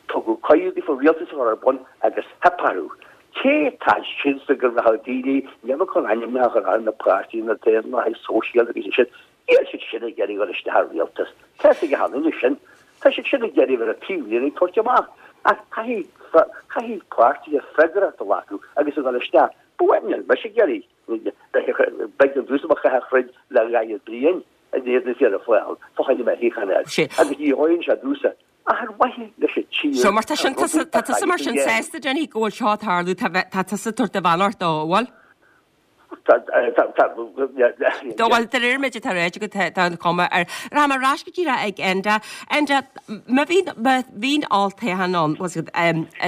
Tugadh cuireadh daofa rialtas a chur ar bun agus theip orthu. Cé atá ansin sa go raibh daoine, níl mé chun ainmneacha a chur ar na páirtithe, na Daonlathaigh Sóisialta agus iad sin, níl siad sin ag iarraidh dul isteach i rialtas. Tá fhios ag achan duine sin. Tá siad sin ag iarraidh a bheith ar an taobhlíne ag tabhairt amach. Ach caithfidh, caithfidh páirtithe freagracht a ghlacadh agus a dhul isteach. Ba mhaith, níl mise ag iarraidh, b'éigean domhsa mo chath a throid le dhaichead bliain. in éadan Fianna Fáil fá choinne mo shuíochán a fháil agus ní gheobhaidh sé domhsa ach ar mhaithe leis an tír So mar tá sin tusa tá tusa mar sin sásta Dinny go bhfuil seo ag tarlú tá tá tusa ag tabhairt do bheannacht dó an bhfuil? Tá tá tá Dó bhuel de réir méid atá ráite agat tá tá an chuma air. Rachaidh mé ar ais go díreach ag Enda. Enda má bhíonn má bhíonn olltoghchán ann bhfuil a fhios agat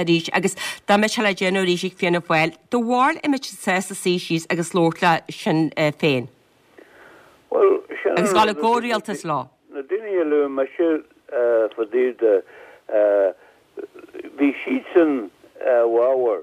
arís agus dá mbeadh sé le déanamh arís ag Fianna Fáil do bharúil an mbeadh siad sásta suí síos agus labhairt le Sinn Féin? Bhuel, sin Agus an dhul i rud, gcomhrialtas leo. na daoine a luaigh mise fá dtaobh de, bhí siadsan i bhfabhar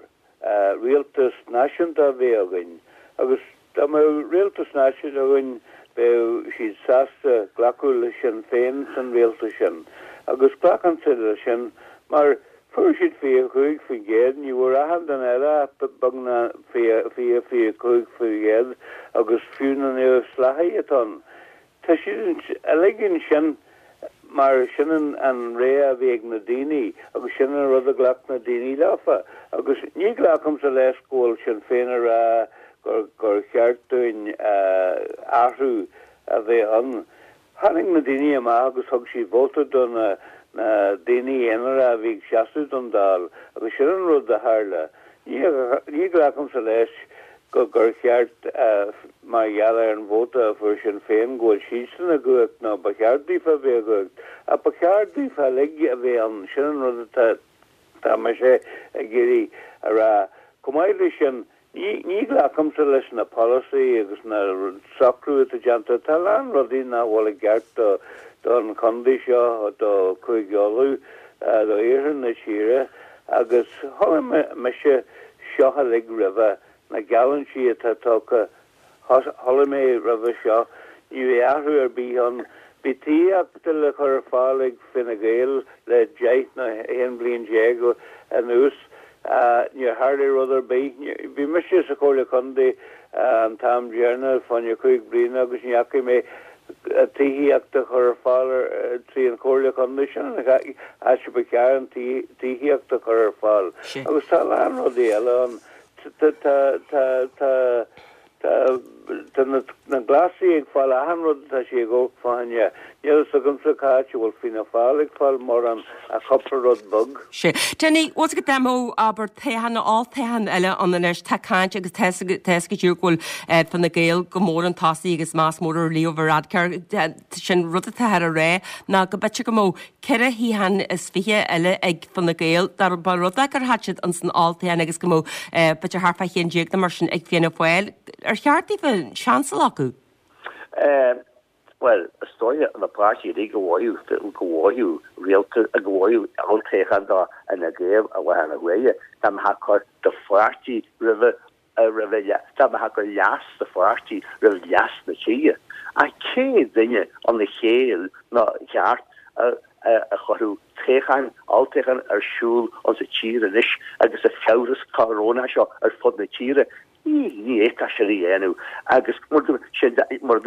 rialtas náisiúnta a bheith againn agus dá mbeadh rialtas náisiúnta againn bheadh siad sásta glacadh le Sinn Féin san rialtas sin agus glacann siad leis sin mar Fuair siad 25%, ní bhfuair achan duine eile ach beagnach 20, 25% agus fiú na neamhspleáchaigh atá ann, tá siad uilig ansin mar sin an rogha a bhí ag na daoine agus sin an rud a ghlac na daoine leofa agus ní ghlacaimse leis go bhfuil Sinn Féin ag rá gur cheart dúinn athrú a bheith ann. Tháinig na daoine amach agus thug siad vóta do na daoine aonara a bhí ag seasamh don Dáil agus sin an rud a tharla. Ní ghlacaimse leis go gur cheart mar gheall ar an vóta a fuair Sinn Féin go bhfuil siadsan i gcumhacht nó ba cheart daofa a bheith i gcumhacht ach ba cheart daofa uilig a bheith ann. Sin an rud atá Tá mise ag iarraidh a rá, chomh maith leis sin, ní ghlacaimse leis na polasaí agus na socrú atá déanta. Tá a lán rudaí nach bhfuil i gceart don chontae seo, do Chúige Uladh, do iarthar na tíre agus chuala mise seo uilig roimhe, na geallúintí atá tugtha Chuala mé roimhe seo, ní raibh athrú ar bith ann. Bhí tithíocht le cur ar fáil ag Fine Gael le 10 nó 11 bliain anuas. Níor tharlaigh rud ar bith. Bhí mise sa Chomhairle Contae an t-am deireanach fá choinne 5 bliana agus ní fhacaidh mé tithíocht a chur ar fáil trí an Chomhairle Contae. Sin an áit a ba cheart an tithíocht a chur ar fáil. Agus tá a lán rudaí eile ann. Tá, tá, tá, tá, tá na Glasaigh ag fáil achan rud atá siad ag gabháil fá choinne. Níl fhios agamsa cá háit a bhfuil Fianna Fáil ag fáil mórán ach cúpla rud beag. Sea. Dinny, bhfuil 's agat dá mbeadh, abair, toghchán nó olltoghchán eile ann anois, tá caint agus tá 's go díreach go bhfuil Fine Gael go mór chun tosaigh agus meas mór ar Leo Varadkar. Sin rud atáthar a rá ná go mb'fhéidir go mbeadh 4 shuíochán is 20 eile ag Fine Gael dá mba rud é gur thit siad ins an olltoghchán agus go mbeadh b'fhéidir thart fá cheann déag nó mar sin ag Fianna Fáil. Ar cheart daofa seans a ghlacadh? Bhuel, is dóigh na páirtithe uilig go bhfaigheadh, go bhfaigheadh rialtas, go bhfaigheadh olltoghchán do Fhine Gael i láthair na huaire, dá mbeifeá ag cur do pháirtí roimhe, roimhe, dá mbeifeá ag cur leas do pháirtí roimh leas na tíre. Ach cé duine ina chéill ná cheart a a chuirfeadh toghchán, olltoghchán ar siúl insa tír anois agus an fiabhras corónach seo ar fud na tíre? Ní, ní fhéadfá sin a dhéanamh agus mar a dúirt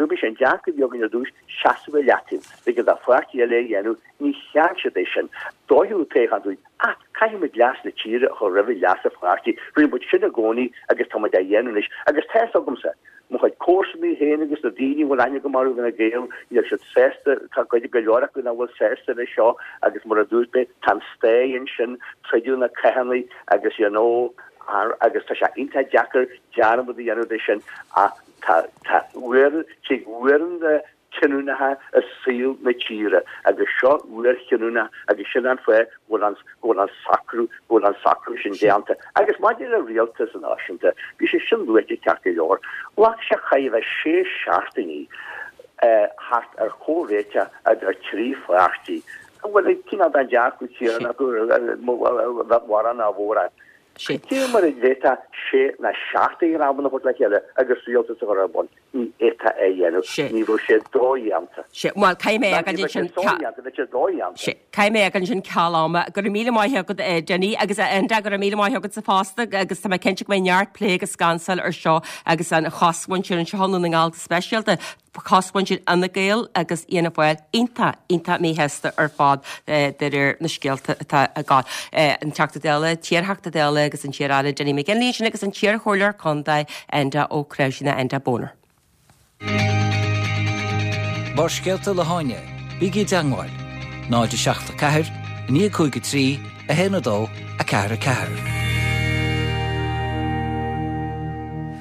mé, sé an dearcadh a bhí againn ar dtús, seasamh i leataobh, b'éigean do pháirtí eile é a dhéanamh, ní cheart siad é sin. D'fhóirfeadh toghchán dúinn ach caithfidh muid leas na tíre a chur roimhe leas an pháirtí. Rinne muid sin i gcónaí agus tá muid á dhéanamh anois agus tá fhios agamsa, mo chuid comharsanaí féin agus na daoine a bhfuil aithne agam orthu i bhFine Gael, níl siad sásta, tá cuid, go leor acu nach bhfuil sásta leis seo agus mar a dúirt mé, tá an stáidh ansin, troideadh na cathanna agus you know, agus tá sé iontach deacair dearmad a dhéanamh de sin ach tá tá uair tig uaireanta cinniúnacha i saol na tíre agus seo uair chinniúnach agus sin an fáth go bhfuil an go bhfuil an socrú go bhfuil an socrú sin déanta. Agus maidir le rialtas náisiúnta, bhí sé sin luaite ceart go leor, ghlac sé chóir a bheith sé seachtainí thart ar chomhréiteach idir thrí pháirtí a bhfuil cineál den dearcadh céanna acu mórán ná mórán. Cé mar a d'fhéadfá sé ná seachtain am a thabhairt le chéile agus rialtas a chur ar bun? Ní fhéadfá é a dhéanamh. Ní bheadh sé dodhéanta. Sea. Bhuel, caithfidh mé a fhágáil ansin. Dodhéanta, bheadh sé dodhéanta. Sea. Caithfidh mé a fhágáil ansin ceal ama. Go raibh míle maith agat, Dinny, agus a Enda, go raibh míle maith agatsa fosta agus tá mé cinnte go mbeidh neart plé agus scansáil ar seo agus an chosmhuintir anseo i nDún na nGall go speisialta. Cosmhuintir Fhine Gael agus Fhianna Fáil iontach, iontach míshásta ar fad de réir na scéalta atá ag gabháil. An Teachta Dála, t-iarTheachta Dála agus an t-iar-Aire Dinny McGinley ansin agus an t-iarChomhairleoir Contae Enda Ó Cnáimhsí nó Enda Boner. Barrscéalta le hÁine, bígí i dteangmháil, 0 7 4 9 5 3 1 2 4 4.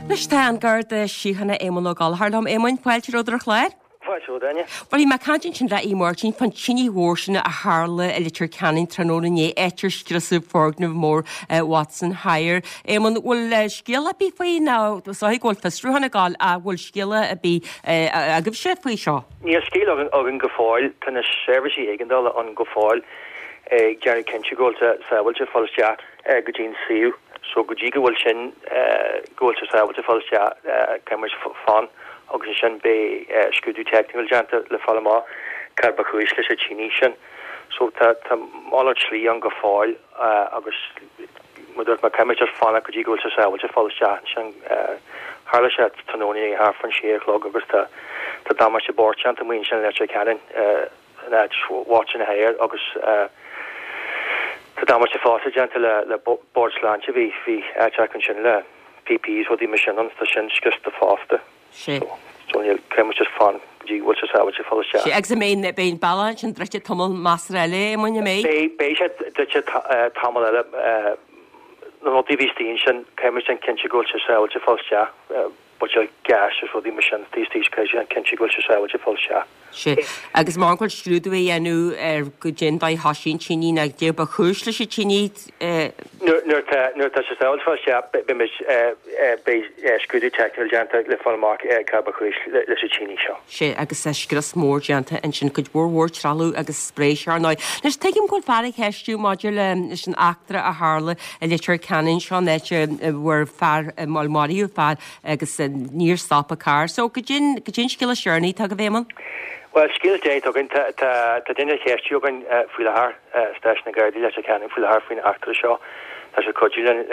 Anois tá an Garda Síochána Éamonn Ó Gallchóir liom. Éamoinn, fáilte romhat ar an chlár. Fáilte romhat, Áine. Bhuel, bhí mé ag caint ansin le Aodh Máirtín fán tine mhór sin a tharla i Leitir Ceanainn tráthnóna inné, áit ar scriosadh foirgneamh mór Watson Hire. Éamonn, bhfuil scéal ar bith faoi nó is dóigh go bhfuil fiosrúchán ag gabháil ach bhfuil scéala ar bith agaibhse faoi seo? Níl scéal againn go fóill. Tá na seirbhísí éigeandála ann go fóill ag déanamh cinnte go bhfuil sé sábháilte fáil isteach go dtí an suíomh. So go dtí go bhfuil sin, go bhfuil sé sábháilte fáil isteach, caithfidh muid fanacht agus ansin beidh scrúdú teicniúil déanta le fáil amach cad ba chúis leis an tine sin. So tá tá malairt slí ann go fóill agus mar dúirt mé caithfidh muid just fanacht go dtí go bhfuil sé sábháilte fáil isteach ansin. Tharla sé tráthnóna inné thart fán sé a chlog agus tá tá damáiste bocht déanta amuigh ansin i Leitir Ceanainn. in áit Watson Hire agus tá damáiste fosta déanta le bord sláinte, bhí bhí áit acu ansin le PPEs rudaí mar sin ann, tá sin scriosta fosta. Sea. So níl, caithfidh muid just fanacht go dtí go bhfuil sé sábháilte fáil isteach. Sea, agus an mbeidh, beidh an bealach ansin druidte tamall measartha eile, Éamoinn, an mbeidh? Beidh, beidh sé druidte tamall eile, na rudaí a bhí istigh ansin, caithfidh muid déanamh cinnte go bhfuil sé sábháilte fáil isteach. buidéal gáis is rudaí mar sin taobh istigh caithfidh siad déanamh cinnte go bhfuil sé sábháilte fáil isteach. Sea. Agus mar go bhfuil scrúdú á dhéanamh ar goidé an dóigh a thoisigh an tine nó goidé ba chúis leis an tine. Nuair atá nuair atá sé sábháilte fáil isteach beidh muid beidh scrúdú teicniúil déanta le fáil amach cad ba chúis leis an tine seo. Sea, agus scrios mór déanta ansin, cuid mhór mhór trealamh agus spréis ar ndóigh. Anois tuigim go bhfuil fear á cheistiú maidir leis an eachtra a tharla i Leitir Ceanainn seo an áit a bhfuair fear, bhuel maraíodh fear agus níor stop a carr. So goidé an, goidé an scéal is deireanaí atá agaibh Éamonn? Bhuel, scéal is deireanaí atá againn, tá, tá, tá duine á cheistiú againn faoi láthair, stáisiún na Gardaí Leitir Ceanainn faoi láthair faoin eachtra seo. Tá sé ag cuidiú linn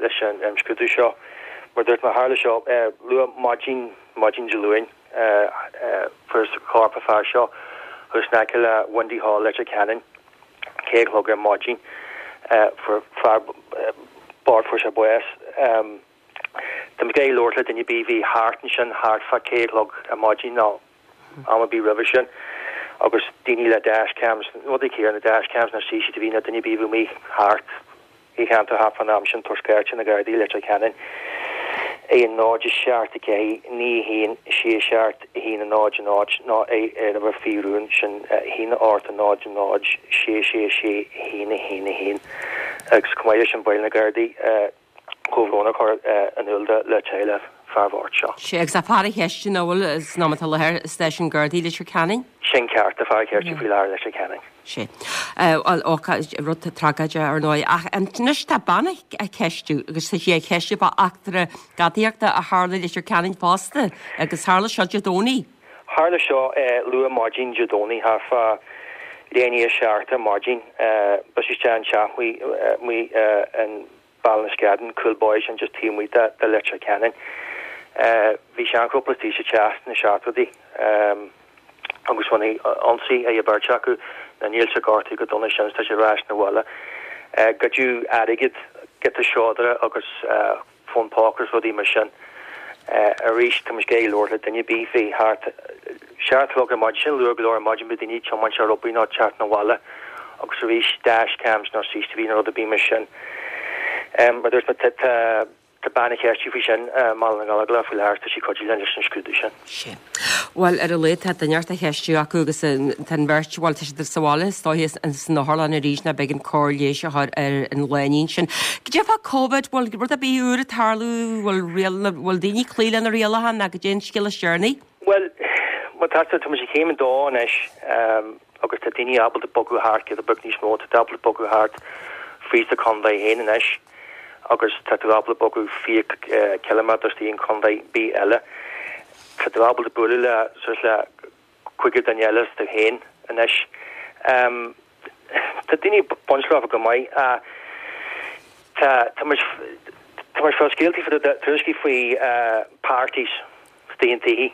leis an imscrúdú seo. Mar a dúirt mé, tharla seo luath maidin, maidin Dé Luain, fuarthas corp an fear seo agus in aice le Windy Hall, Leitir Ceanainn, ceithre a chlog ar maidin. Fuair fear bocht, fuair sé bás. Tá muid ag iarraidh labhairt le duine ar bith a bhí thart ansin thart fá ceithre a chlog ar maidin nó am ar bith roimhe sin agus daoine le dash cams, rudaí céanna, na dash cams nó CCTV nó duine ar bith a bhí amuigh thart sa cheantar thart fán am sin tabhair scairt ar na Gardaí i Leitir Ceanainn ar 0 7 4 9 1 6 7 1 0 0 nó ar uimhir faoi rún sin 1 8 0 0 6 6 6 1 1 1 agus chomh maith leis sin ba mhaith le na Gardaí comhbhrón a chur in iúl le teaghlach fear bhoicht seo. Sea, agus tá fear á cheistiú nach bhfuil san am atá i láthair i Stáisiún Gardaí Leitir Ceanainn? Sin ceart, tá fear á cheistiú faoi láthair i Leitir Ceanainn. Sea. Bhuel, ócáid, rud tragóideach ar ndóigh. Ach anois tá bean á ceistiú agus tá sí á cheistiú fá eachtra gadaíochta a tharla i Leitir Ceanainn fosta agus tharla seo Dé Domhnaigh. Tharla seo luath maidin Dé Domhnaigh, thart fá leath i ndiaidh a seacht ar maidin. Briseadh isteach in teach amuigh in Ballinascadden, Cúil Boy, sin just taobh amuigh de Leitir Ceanainn. Bhí seanchúpla istigh sa teach sna seachtóidí agus rinneadh ionsaí ar an bheirt acu. Now níl siad gortaithe go dona sin, tá siad ar ais 'na bhaile. Goideadh airgead, giota seodra agus. fón póca agus rudaí mar sin. Arís, tá muid ag iarraidh labhairt le duine ar bith a bhí thart seacht a chlog ar maidin, sin luath go leor ar maidin, bhí daoine ag tiomáint ar obair nó ag teacht 'na bhaile agus arís dash cams nó CCTV nó rud ar bith mar sin. Mar a dúirt mé, tá tá bean á cheistiú faoi sin i mBaile na nGallóglach faoi láthair, tá sí ag cuidiú linn leis an scrúdú sin. Sin. Bhuel, ar a laghad tá duine inteacht á cheistiú acu agus tá an bheirt, bhuel, tá siad sa bhaile is dóiche san otharlann arís nó b'éigean cóir leighis a chur ar an lánúin sin. Cad é fá Covid, bhfuil rud ar bith úr ag tarlú, bhfuil riail, bhfuil daoine ag cloí le na rialacha nó cad é an scéal is deireanaí? Bhuel, má tá tú, tá muid ag céim a dó anois agus tá daoine ábalta bogadh thart giota beag níos mó, tá tú ábalta bogadh thart fríd do chontae féin anois agus tá tú ábalta bogadh 20 ciliméadar istigh in contae ar bith eile. Tá tú ábalta bualadh le suas le cúigear duine eile is tú féin anois. Tá daoine ag baint leofa go maith. Tá tá muid tá muid ag fáil scéaltaí faoi tuairiscí faoi parties istigh in tithe.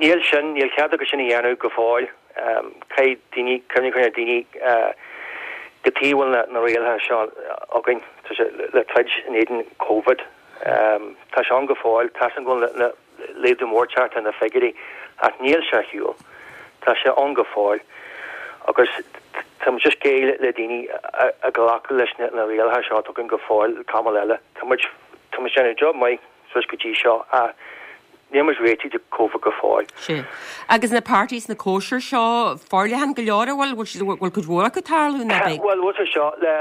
Níl sin, níl cead acu sin a dhéanamh go fóill. Caithfidh daoine, cuimhneamh ar daoine cad chuige a bhfuil na rialacha seo againn, tá sé le troid in éadan Covid. Tá sé ann go fóill, tá sé go bhfuil laghdú mór teacht ar na figiúirí ach níl sé ar shiúl. Tá sé ann go fóill agus tá muid just ag iarraidh le daoine a ghlacadh leis na rialacha seo atá againn go fóill tamall eile. Tá muid tá muid déanamh job maith suas go dtí seo ach níl muid réitithe do Covid go fóill. Sea. Agus na parties, na cóisir seo, forleathan go leor, an bhfuil, bhfuil, bhfuil cuid mhór acu ag tarlú nó beag? Bhuel, bhfuil sé seo, le,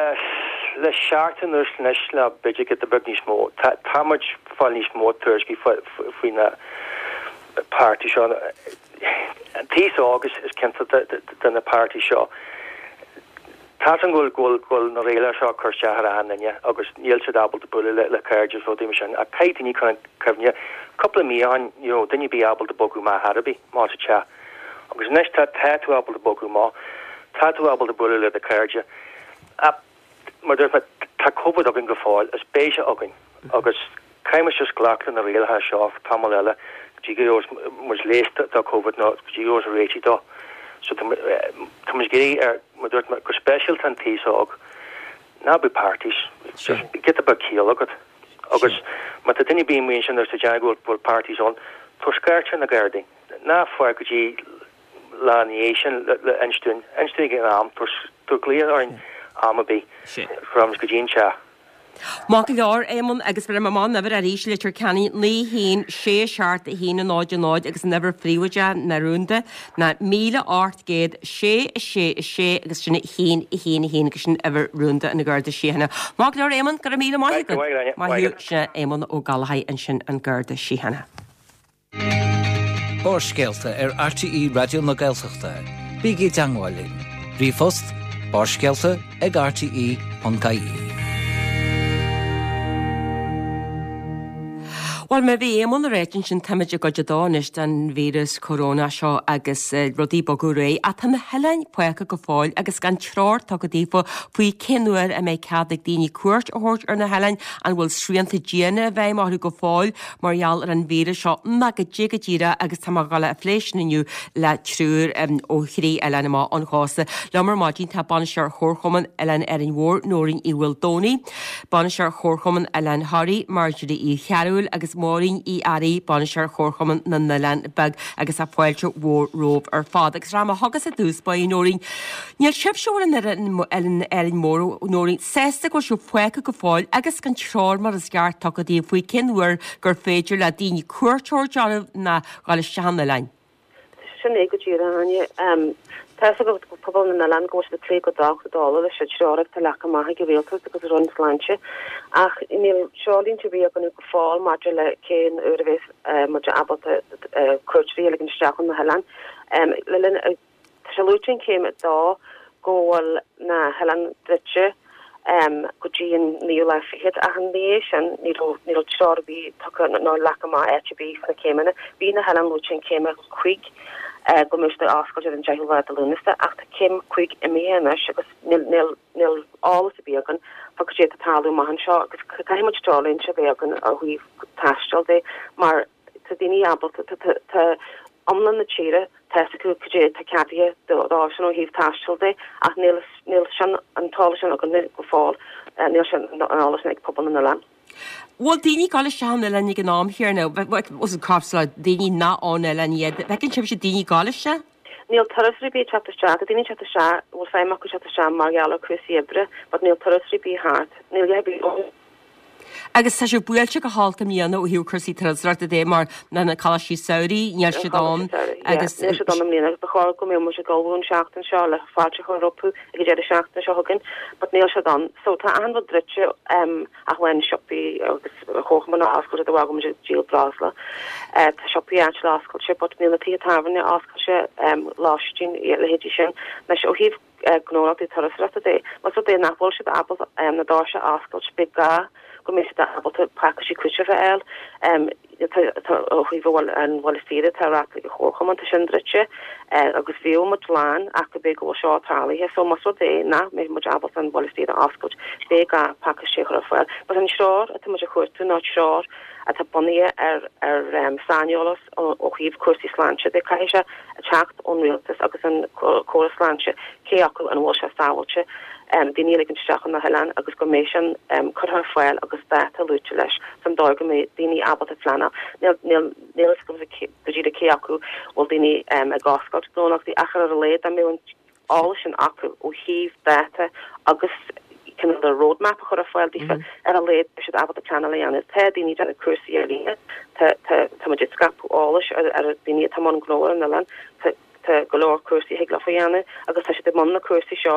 le seachtain anuas anois, nó b'fhéidir giota beag níos mó, tá, tá muid ag fáil níos mó tuairiscí faoi, faoi na parties seo. An t-aos óg is, is cinnte de, de, de na parties seo. Tá 's agam go bhfuil, go bhfuil, go bhfuil na rialacha seo ag cur isteach ar achan duine agus níl siad ábalta bualadh le, le cairde is rudaí mar sin ach caithfidh daoine cur in cuimhne, cúpla mí ó shin ní raibh duine ar bith ábalta bogadh amach ar bith, amach as an teach agus anois tá, tá tú ábalta bogadh amach, tá tú ábalta bualadh le do chairde ach mar a dúirt mé, tá Covid againn go fóill is beidh sé againn agus Caithfidh muid just glacadh le na rialacha seo tamall eile go dtí go gheobhas muid leigheas do Covid nó go dtí go gheobhas réitigh dó. So tá tá muid ag iarraidh ar, mar a dúirt mé, go speisialta an t-aos óg, ná bíodh parties, just giota beag ciall agat. Agus má tá duine ar bith amuigh ansin agus ag déanamh go bhfuil parties ann, tabhair scairt ar na Gardaí. Ná fág go dtí lá ina dhiaidh sin le inis dúinn, inis dúinn ag an am, tabhair glaoch orainn am ar bith, rachaidh muid go dtí an teach. Maith go leor, Éamonn, agus bhéarfaidh mé amach an uimhir arís, Leitir Ceanainn 9 1 6 7 1 0 0 agus an uimhir phríobháideach nó rúnda ná 1800 6 6 6 agus sin 1 1 1 agus sin uimhir rúnda an Gharda Síochána. Maith go leor, Éamonn, go raibh míle maith agat. Maith thú, sin Éamonn Ó Gallchóir ansin an Garda Síochána. Barrscéalta ar RTÉ Raidió na Gaeltachta. Bígí i dteangmháil linn. Ríomhphost, barrscéalta ag rte.ie. Bhuel, mar a bhí Éamonn ag ráit ansin, táimid i gcuid a dó anois den víreas corónach seo agus rudaí ag bogadh ar aghaidh, ach tá na hoileáin fágtha go fóill agus gan treoir tugtha daofa faoi cén uair a mbeidh cead ag daoine cuairt a thabhairt ar na hoileáin, an bhfuil srianta diana i bhfeidhm orthu go fóill mar gheall ar an víreas seo ná goidé go díreach agus tá mé ag dul a phlé sin inniu le triúr ó thrí oileán amach ón chósta. Liom ar maidin tá Bainisteoir Chomharchumann Oileán Árainn Mhór, Nóirín Uí Mhaoldomhnaigh, Bainisteoir Chomharchumann Oileán Thoraí, Marjorie Uí Chearbhaill agus Máirín Uí Fhearraigh, Bainisteoir Chomharchumann na nOileán Beag agus tá fáilte mhór romhaibh ar fad. Agus rachaidh mé chugatsa i dtús báire, Nóirín. Níl sibhse a bhfuil in Árainn Mhór, Nóirín, sásta go bhfuil sibh fágtha go fóill agus gan treoir mar is ceart tugtha daoibh faoi cén uair gur féidir le daoine cuairt a thabhairt oraibh ná dhul isteach an oileáin. Sin é go díreach, a Áine. Tá fhios ag pobal na n-oileán go bhfuil siad ag plé go docht dála leis an treoir atá leagtha amach ag an Rialtas agus an Roinn Sláinte ach níl treoirlínte ar bith againn go fóill maidir le cén uair a bheas muid ábalta cuairteoirí a ligean isteach chun na hoileáin. Le linn Tá sé luaite in Céim 2 go bhfuil na hoileáin druidte go dtí an naoú lá fichead ach ina dhiaidh sin ní raibh ní raibh treoir ar bith tugtha ná leagtha amach áit ar bith sna céimeanna. Bhí na hoileáin luaite in Céim 5 go mbeadh siad ar oscailt ar an deichiú lá de Lúnasa ach tá Céim 5 imithe anois agus níl níl níl eolas ar bith againn fá cad é atá ag tarlú amach anseo agus caithfidh muid treoirlínte a bheith againn ó thaobh taistil de mar tá daoine ábalta tá tá iomlán na tíre, tá fhios acu cad é atá ceadaithe dóibhsean ó thaobh taistil de ach níl níl sin an t-eolas sin againne go fóill, níl sin an eolas sin ag pobal na n-oileán. Bhfuil daoine ag dul isteach an oileán ag an am chéanna, cosúil le daoine nach ón oileán iad, bhfeiceann sibhse daoine ag dul isteach? Níl turasóirí ar bith ag teacht isteach, tá daoine ag teacht isteach, bhfuil feidhm acu teacht isteach mar gheall ar cúrsaí oibre but níl turasóirí ar bith thart, níl a dhath ar bith. Agus tá sibh buailte go holc i mbliana ó thaobh cúrsaí turasóireachta de mar na na coláistí samhraidh, níl siad ann agus. Níl siad ann i mbliana agus ba chóir go mbeadh muid ag ullmhú an seachtain seo le fáilte a chur rompu ag an deireadh seachtaine seo chugainn but níl siad ann. So tá achan rud druidte ach amháin siopaí agus comharchumann oscailte de bharr go bhfuil muid ag díol breosla. Tá siopaí áitiúla oscailte but níl na tithe tábhairne oscailte, lóistín, a leithéidí sin. Anois ó thaobh gnólachtaí turasóireachta de. Más rud é nach bhfuil siad ábalta na doirse a oscailt, beidh gá go mbeidh siad ábalta pacáistí cúitimh a fháil. Ó thaobh an bhaile saoire atá reáchtáil ag an chomharchumann, tá sin druidte agus bhíodh muid lán ach go b'fhéidir go bhfuil seo tarlaithe. So más rud é nach mbeidh muid ábalta an baile saoire a oscailt, beidh gá pacáistí a chur ar fáil. But an treoir atá muid a chuartú ná treoir atá bunaithe ar ar saineolas ó thaobh cúrsaí sláinte de. Caithfidh sé teacht ón rialtas agus an córas sláinte cé acu an bhfuil sé sábháilte daoine a ligean isteach chun na hoileáin agus go mbeidh sin curtha ar fáil agus dáta luaite leis san dóigh go mbeidh daoine ábalta pleanáil. Níl níl níl a fhios agam go díreach cé acu bhfuil daoine ag oscailt gnólachtaí ach ar a laghad dá mbeadh an eolas sin acu ó thaobh dáta agus cineál de roadmap a chur ar fáil daofa, ar a laghad beidh siad ábalta pleanáil a dhéanamh. Tá daoine ag déanamh cúrsaí ar líne, tá tá tá muid ag scaipeadh eolais ar ar daoine atá i mbun gnó ar an oileán, tá tá go leor cúrsaí a thig leofa a dhéanamh agus tá siad i mbun na cúrsaí seo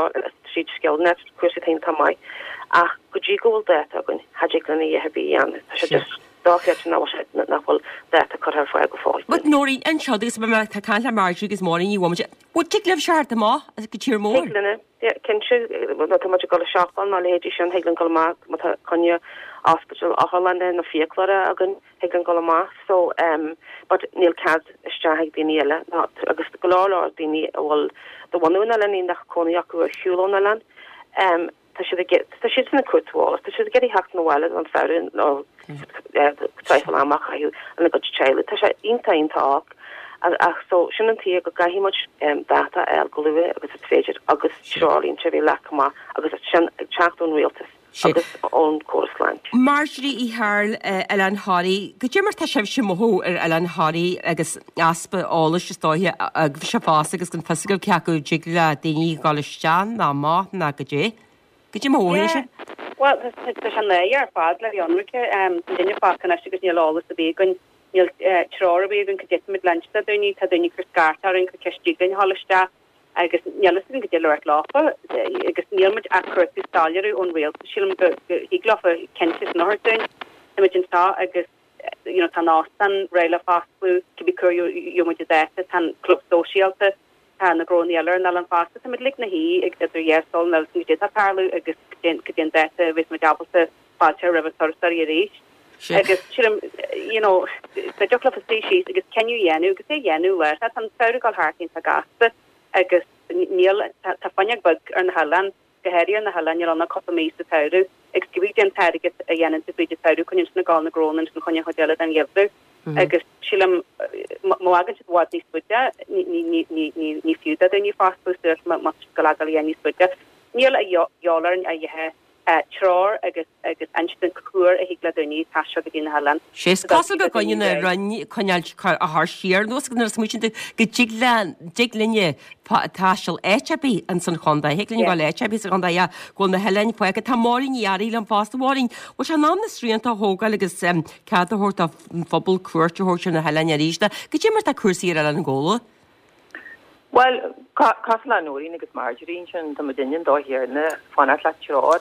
tríd Skillnet, cúrsaí atá iontach maith. Ach go dtí go bhfuil dáta againn, cha dtig linn a dhath ar bith a dhéanamh. Tá sé just dochreidte nach bhfuil sé nach bhfuil dáta curtha ar fáil go fóill. But Nóirín, anseo agus mé ag caint le Marjorie agus Máirín Ní Mhómaide, Bhuel, tig libh theacht amach go tír mór? Thig linn, yeah, cinnte. Má tá muid ag dul ag siopa nó a leithéidí sin, thig linn dul amach má tá coinne ospidéal, otharlainne nó fiaclóra againn, thig linn dul amach. So, um, but níl cead isteach ag daoine eile ná, agus go leor leor daoine a bhfuil de bhunadh an oileáin nach cónaí acu ar shiúl ón oileán, um, Tá siad ag, tá siadsan ag cuartú eolas, tá siad ag iarraidh theacht 'na bhaile don samhradh nó traidhfil ama a chaitheamh lena gcuid teaghlaigh. Tá sé iontach, iontach olc. Ach so, sin an tuige go gcaithfidh muid dáta a fháil go luath agus is féidir agus treoirlínte a bheith leagtha amach agus sin ag teacht ón rialtas agus ón córas sláinte. Marjorie Uí Chearbhaill, Oileán Thoraí, goidé mar tá sibhse ag mothú ar Oileán Thoraí agus easpa eolais is dóiche agaibhse fosta agus gan fios agaibh cé acu dtig le daoine dhul isteach ná amach ná goidé. Goidé mar a mhothaíonn sé? Bhuel, tá sé náireach ar fad le bheith ionraice. Tá an duine fágtha anois agus níl eolas ar bith againn, níl treoir ar bith againn cad é táimid le inse do dhaoine. Tá daoine ag cur scairt orainn, cur ceist dtig linn a dhul isteach agus níl fhios againn goidé le ráit leofa agus níl muid ach cuartú soiléiriú ón rialtas. Sílim go thig leofa cinnte sin a thabhairt dúinn. Táimid anseo agus you know tá an óstán réidh le fosclú, cibé cá huair a gheobhaidh muid an dáta, tá an club sóisialta, tá na gnónna eile ar an oileán fosta, táimid uilig 'na shuí ag idir dhá súil, níl fhios againn goidé atá ag tarlú agus goidé an dáta a bheas muid ábalta fáilte roimh turasóirí arís. Agus sílim, you know, dá dtiocfadh leofa suí síos agus cinneadh a dhéanamh agus é a dhéanamh láithreach, tá an samhradh ag dul thart iontach gasta agus níl, tá fuinneog bheag ar na hoileáin, go háirithe ar na hoileáin, níl ann ach cúpla mí sa tsamhradh agus cibé cén t-airgead a dhéanann tú fríd an tsamhradh coinníonn sin ag dul na gnónna ansin chun an chuid eile den gheimhreadh. Agus sílim, má fhágann siad i bhfad níos faide, ní fiú do dhaoine fostú suas má tá siad ag dul a ghabháil a dhéanamh níos faide. Níl a dhíobháil orainn a dh'ithe treoir agus agus insint cá huair a thig le daoine taisteal go dtí na hoileáin. Sea, is cosúil gur gcoinne na Roinn coinneáil a chur siar anuas agus nuair a smaoitíonn tú go dtig le dtig linne taisteal áit ar bith ins an chontae, thig linn dul áit ar bith sa chontae ach go bhfuil na hoileáin fágtha. Tá Máirín Ní Fhearraigh liom fosta. Máirín, bhfuil sé in am na srianta a thógáil agus cead a thabhairt don phobal cuairt a thabhairt ar na hoileáin arís? Goidé mar atá cúrsaí ar Oileán Ghabhla? Bhuel, cosúil le Nóirín agus Marjorie ansin, tá muidinne an dóigh chéanna, fanacht le treoir.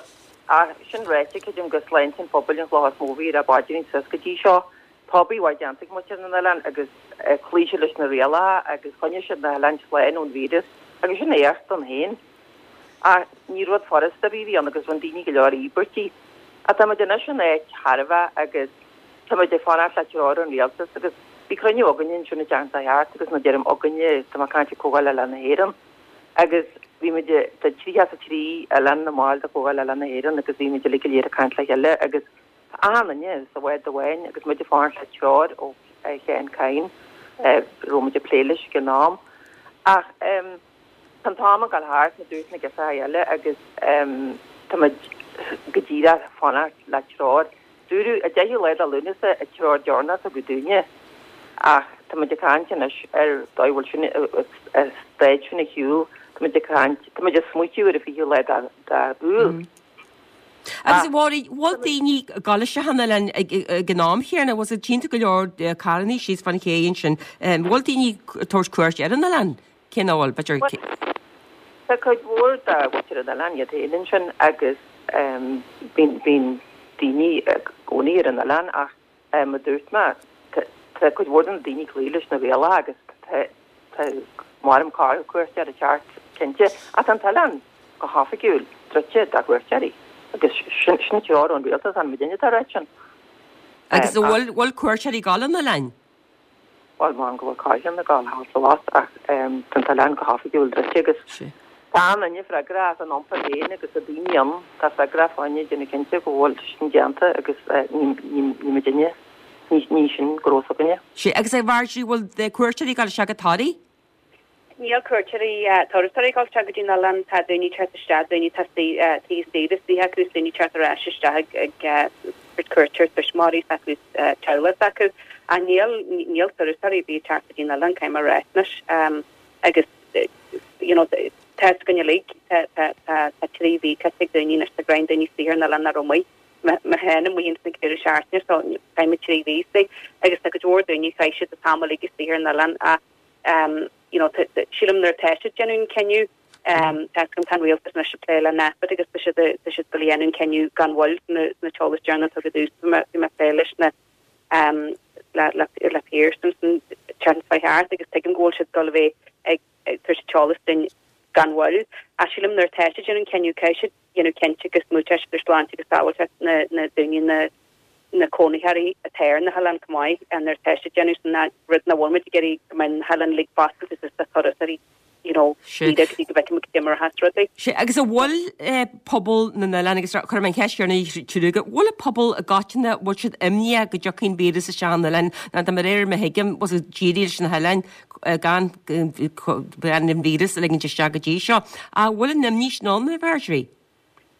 Ach sin ráite, creidim gur sláinte an phobail an chloch is mó a bhí ar ár bpaidrín suas go dtí seo. Tá obair mhaith déanta ag muintir na n-oileán agus chloígh siad leis na rialacha agus choinnigh siad na hoileáin slán ón víreas agus sin éacht ann féin. Ach ní rud furasta ar bith a bhí ann agus rinne daoine go leor íobairtí. Ach tá muid anois in áit thairbheach agus Tá muid ag fanacht le treoir ón Rialtas agus bhí cruinniú againne ansin an tseachtain seo thart agus nuair a deirim againne tá mé ag caint ar Comhdháil Oileán na hÉireann agus bhí muid, tá 33 oileán ina mbaill de Chomhdháil Oileán na hÉireann agus bhí muid uilig go léir ag caint le chéile agus tá achan duine sa bhád amháin agus muid ag fanacht le treoir ó Sheán Kyne, raibh muid ag plé leis ag an am. Ach tá an t-am ag dul thart, mar a dúirt na girseachaí eile agus tá muid go díreach ag fanacht le treoir. Dúradh an 10ú lá de Lúnasa an treoir deireanach a tugadh dúinne ach tá muid ag caint anois ar dóigh bhfuil sin an staid sin ar shiúl, tá muid ag caint, tá muid ag smaoitiú ar an 20ú lá de Iúil. Agus a Mháirín, bhfuil daoine ag dul isteach an oileán ag an am chéanna, bhfuil tchíonn tú go leor carrannaí síos fan ché ansin, bhfuil daoine ag tabhairt cuairt ar an oileán? Cé nach bhfuil, b'fhéidir. Tá cuid mhór de mhuintir an oileáin iad féin ansin agus bíonn daoine i gcónaí ar an oileán ach mar a dúirt mé, tá cuid mhór de na daoine ag cloí leis na rialacha agus tá maram corr-chuairteoir ag teacht cinnte ach tá an t-oileán go hoifigiúil druidte do chuairteoirí agus sin an treoir ón rialtas, an muidinne atá ag ráit sin. Agus an bhfuil cuairteoirí ag dul an oileáin? Bhuel, maram go bhfuil corrcheann ag dul thall is abhus ach tá an t-oileán go hoifigiúil druidte agus tá an duine freagrach as an iompar féin agus tá daoine ann atá freagrach fá choinne déanamh cinnte go bhfuil sin déanta agus ní muidinne, ní sin gnó s'againne. Sea, agus a Mharjorie, bhfuil cuairteoirí ag dul isteach go Toraigh? Níl cuairteoirí, turasóirí ag dul isteach go dtí an oileán, tá daoine ag teacht isteach, daoine atá tithe saoire istigh acu is daoine ag teacht ar ais isteach ag tabhairt cuairt ar tuismitheoirí s'acu is teaghlach s'acu. Ach níl, níl turasóirí ar bith ag teacht go dtí an oileán, caithfidh mé a rá anois. Agus you know tá fhios againn uilig, tá, tá, tá, tá 3 mhí caite ag daoine anois, tá greim daoine istigh ar an oileán nach raibh amuigh. Mé féin amuigh ins an deireadh seachtaine so chaith mé 3 mhí istigh agus tá cuid mhór daoine, chaith siad an t-am uilig istigh ar an oileán ach you know, sílim nuair atá siad ag déanamh an cinneadh, tá fhios agam tá an rialtas anois ag plé le NPHET agus tá siad tá siad ag dul a dhéanamh an cinneadh gan mhoill sna sna t-eolas deireanach a tugadh domhsa bhí mé bhí mé ag plé leis na le le le Pearse an tseachtain seo thart agus tuigim go bhfuil siad ag dul a bheith ag ag tabhairt an t-eolas dúinn gan mhoill. Ach sílim nuair atá siad ag déanamh an cinneadh caithfidh siad dhéanamh cinnte go smaointeoidh siad ar shláinte agus sábháilteacht na na daoine na na cónaitheoirí atá ar na hoileáin chomh maith nuair atá siad ag déanamh sin rud nach bhfuil muid ag iarraidh go mbeidh na hoileáin uilig foscailte suas do thurasóirí you know Sea. go dtí go bhfeicfidh muid goidé mar atá rudaí. Sea, agus an bhfuil pobal na n-oileán, agus cuirfidh mé an cheist chéanna ar triúr agaibh, bhfuil an pobal i gcoitinne, bhfuil siad imníoch go dtiocfaidh an víreas isteach an oileán, nó de réir mar a thuigim, bhfuil siad dírithe leis na hoileáin gan gan an víreas a ligint isteach go dtí seo. Ach bhfuil an imní sin ann, a Mharjorie?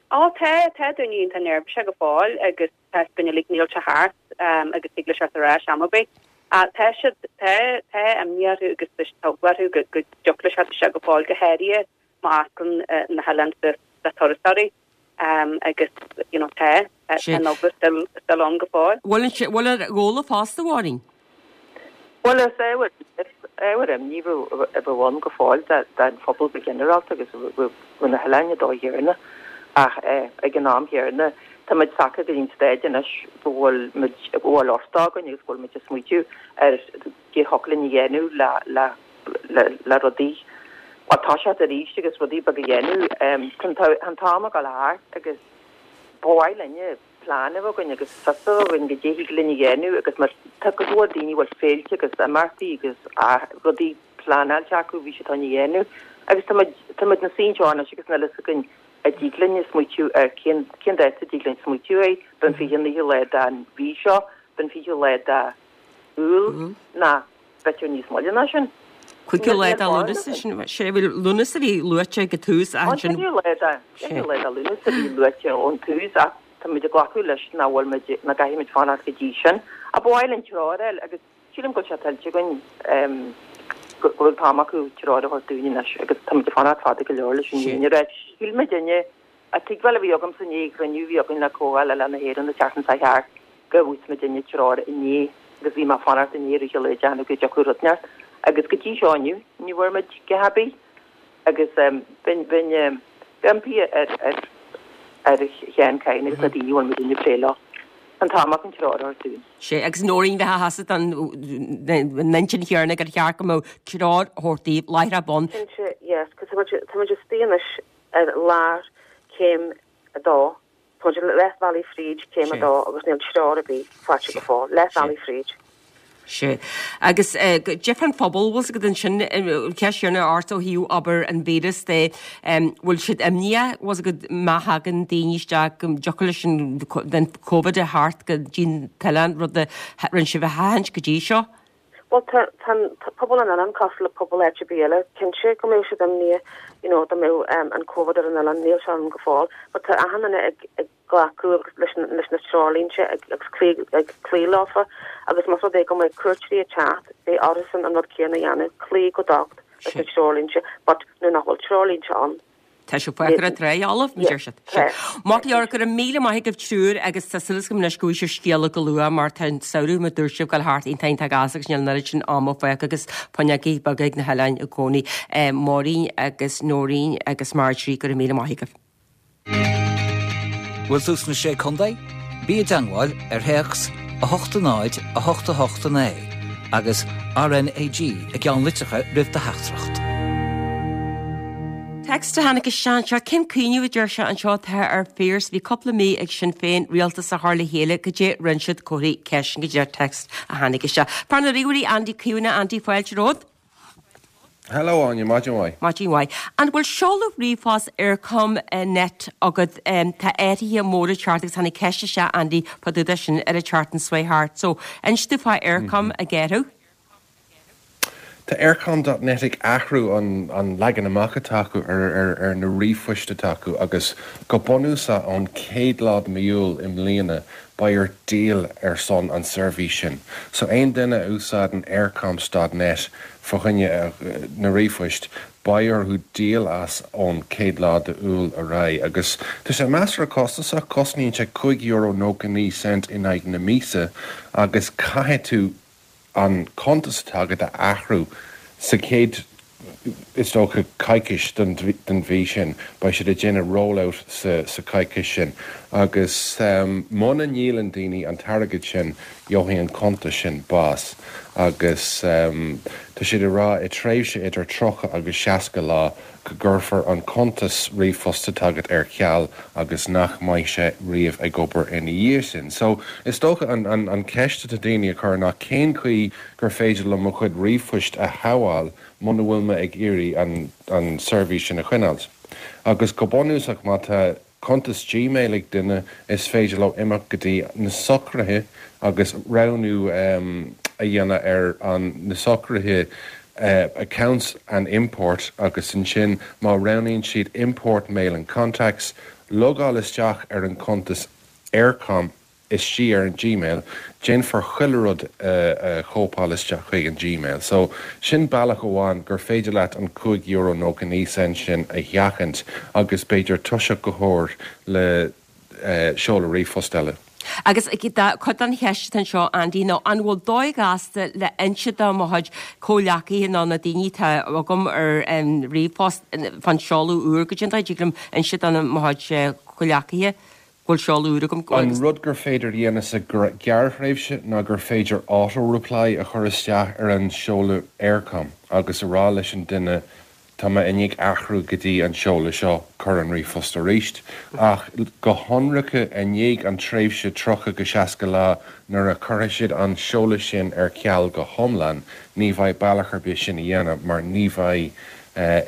Á, tá, tá daoine iontach neirbhíseach go fóill agus tá fhios againn uilig níl sé thart agus thig leis teacht ar ais am ar bith. Ach tá siad, tá, tá imní orthu agus tá eagla orthu go, go dtiocfadh leis teacht isteach go fóill, go háirithe má osclaíonn na hoileáin suas do turasóirí agus you know tá, tá an eagla still, still ann go fóill. Bhfuil an, bhfuil ar Ghabhla fosta, a Mháirín? Bhuel, is ábhar, is ábhar imní a bheadh ann go fóill don phobal go ginearálta agus roimh na hoileáin an dóigh chéanna ach ag an am chéanna tá muid tagtha go dtí an staid anois go bhfuil muid, go bhfuil orthu againn agus go bhfuil muid ag smaoitiú ar cad a thiocfadh linn a dhéanamh le, le, le, le rudaí, bhuel, toiseacht arís agus rudaí beaga a dhéanamh. Tá an t-am ag dul thart agus ba mhaith linne. plean a bheith againn agus fios a bheith againn goidé thig linn a dhéanamh agus mar tá cuid mhór daoine a bhfuil féilte agus imeachtaí agus rudaí pleanáilte acu bhí siad chun a dhéanamh agus tá muid tá muid ina suí anseo anois agus níl fhios againn a dtig linn smaoitiú ar cén cén dáta a dtig linn smaoitiú air, b'in 29ú lá den mhí seo, b'in 20ú lá de Iúil ná b'fhéidir níos moille ná sin. 5ú lá de Lúnasa, sin sé Lúnasa a bhí luaite ag an tús ach ansin. An 5ú lá de, 5ú lá de Lúnasa a bhí luaite ón tús ach tá muid ag glacadh leis nach bhfuil muid, nach gcaithfidh muid fanacht go dtí sin. Ach ba mhaith linn treoir a fháil agus sílim go bhfuil sé tuillte againn go bhfuil an t-am acu treoir a thabhairt dúinn anois agus tá muid ag fanacht fada go leor leis an fhírinne a rá. Shíl muidinne An tuigbheáil a bhí agamsa i ndiaidh an chruinniú a bhí againn le Comhdháil Oileán na hÉireann an tseachtain seo thart go bhfaighidh muidinne treoir inné agus bhí mé ag fanacht inné i rith an lae déanamh go dtiocfadh rud inteacht agus go dtí seo inniu ní bhfuair muid a dhath ar bith agus bheinn bheinn impí ar ar ar Sheán Kyne agus na daoine a bhfuil muidinne ag plé leo an t-am acu an treoir a thabhairt dúinn. Sea, agus Nóirín, bheifeá tusa den intinn chéanna gur cheart go mbeadh treoir á thabhairt daoibh láithreach bonn. Cinnte, yes, 'cause tá muid tá muid istigh anois ar lár céim 2. Tá muid leath bhealaigh fríd céim 2 agus níl treoir ar bith faighte go fóill. Leath bhealaigh fríd. Sea. Agus goidé fán phobal, bhfuil 's agat ansin, ceist chéanna ort ó thaobh obair an víreas de, bhfuil siad imníoch, bhfuil 's agat má thagann daoine isteach go dtiocfadh leis an Covid a theacht go dtí an t-oileán, rud a rinne sibh a sheachaint go dtí seo? Bhuel, tá, tá an pobal an oileáin cosúil le pobal áit ar bith eile. Cinnte go mbeadh siad imníoch, you know, dá mbeadh an Covid ar an oileán, níl sé ann go fóill. But tá achan duine ag, ag glacadh agus leis na, leis na treoirlínte ag, agus cloí, ag cloí leofa. Agus más rud é go mbeidh cuairteoirí ag teacht, beidh orthusan an rud céanna a dhéanamh, cloí go docht leis na treoirlínte. But nuair nach bhfuil treoirlínte ann, Tá sé fágtha ar an trá fholamh, mar deir siad. Maith go leor, go raibh míle maith agaibh triúr agus tá súil agam anois go bhfaighidh sibh scéala go luath mar tá an samhradh mar dúirt sibh ag dul thart iontach iontach gasta agus níl an oiread sin ama fágtha agus fuinneogaí beaga ag na hoileáin i gcónaí. Máirín agus Nóirín agus Marjorie, go raibh míle maith agaibh. Bhfuil tú sna Sé Contae? Bí i dteangmháil ar théacs 8 0 8 8 9 agus RNAG i gceannlitreacha roimh do theachtaireacht. Text a tháinig isteach anseo, Cén cuimhneamh a deir sé anseo atá ar Phearse? Bhí cúpla mí ag Sinn Féin rialtas a chur le chéile, goidé rinne siad comharthaí ceiste go dtí text a tháinig isteach. Fear na ríomhairí Andy Caomhánach, Andy fáilte romhat. Hello Áine, maidin mhaith. Maidin mhaith. An bhfuil seoladh ríomhphost Eircom net agat? Tá athruithe móra ag teacht agus tháinig ceist isteach Andy fá dtaobh de sin ar an tseachtain seo thart. So, inis domh fá Eircom ag athrú. Tá Eircom dot net ag athrú an an leagan amach atá acu ar ar ar na ríomhphoist atá acu agus go bunúsach ón chéad lá de mí Iúil i mbliana beidh ort díol ar son an seirbhís sin. So aon duine a úsáideann eircoms dot net fá choinne na ríomhphoist, beidh orthu díol as ón chéad lá de Iúil ar aghaidh. Agus tá sé measartha costasach, cosnaíonn sé €5.99 in aghaidh na míosa agus caithfidh tú an cuntas atá agat a athrú sa chéad, is dócha, coicís den mhí sin. Beidh siad ag déanamh roll-out sa choicís sin agus muna ndíolann daoine an t-airgead sin, gheobhaidh an cuntas sin bás agus tá siad ag rá i tréimhse idir 30 agus 60 lá go gcuirfear an cuntas ríomhphost atá agat ar ceal agus nach mbeidh sé riamh ag obair ina dhiaidh sin. So, is dócha an an cheist atá daoine a chur ná cén chaoi gur féidir liom mo chuid ríomhphoist a shábháil muna bhfuil mé ag iarraidh an an seirbhís sin a choinneáilt. Agus go bunúsach má tá cuntas Gmail ag duine, is féidir leo imeacht go dtí na socruithe agus roghnú a dhéanamh ar an na socruithe Accounts and Import agus ansin má roghnaíonn siad Import Mail and Contacts, logáil isteach ar an cuntas Eircom istigh ar an Gmail, déanfar chuile rud a chóipeáil isteach chuig an Gmail. So, sin bealach amháin gur féidir leat an €5.99 sin a sheachaint agus b'fhéidir toiseacht go huair le seoladh ríomhphost eile. Agus cuid den cheist atá anseo, Andy, ná an bhfuil dóigh ghasta le inse do mo chuid comhghleacaithe nó na daoine atá agam ar an ríomhphost fán seoladh úr, goidé an dóigh a dtig liom inse do mo chuid comhghleacaithe go bhfuil seoladh úr agam. An rud gur féidir a dhéanamh sa ghearrthréimhse ná gur féidir auto-reply a chur isteach ar an seoladh Eircom agus a rá leis an duine. Tá mé i ndiaidh athrú go dtí an seoladh seo, cuir an ríomhphost arís. Ach go hionraice, i ndiaidh an tréimhse 30-60 lá nuair a chuirfidh siad an seoladh sin ar ceal go hiomlán, ní bheidh bealach ar bith sin a dhéanamh mar ní bheidh,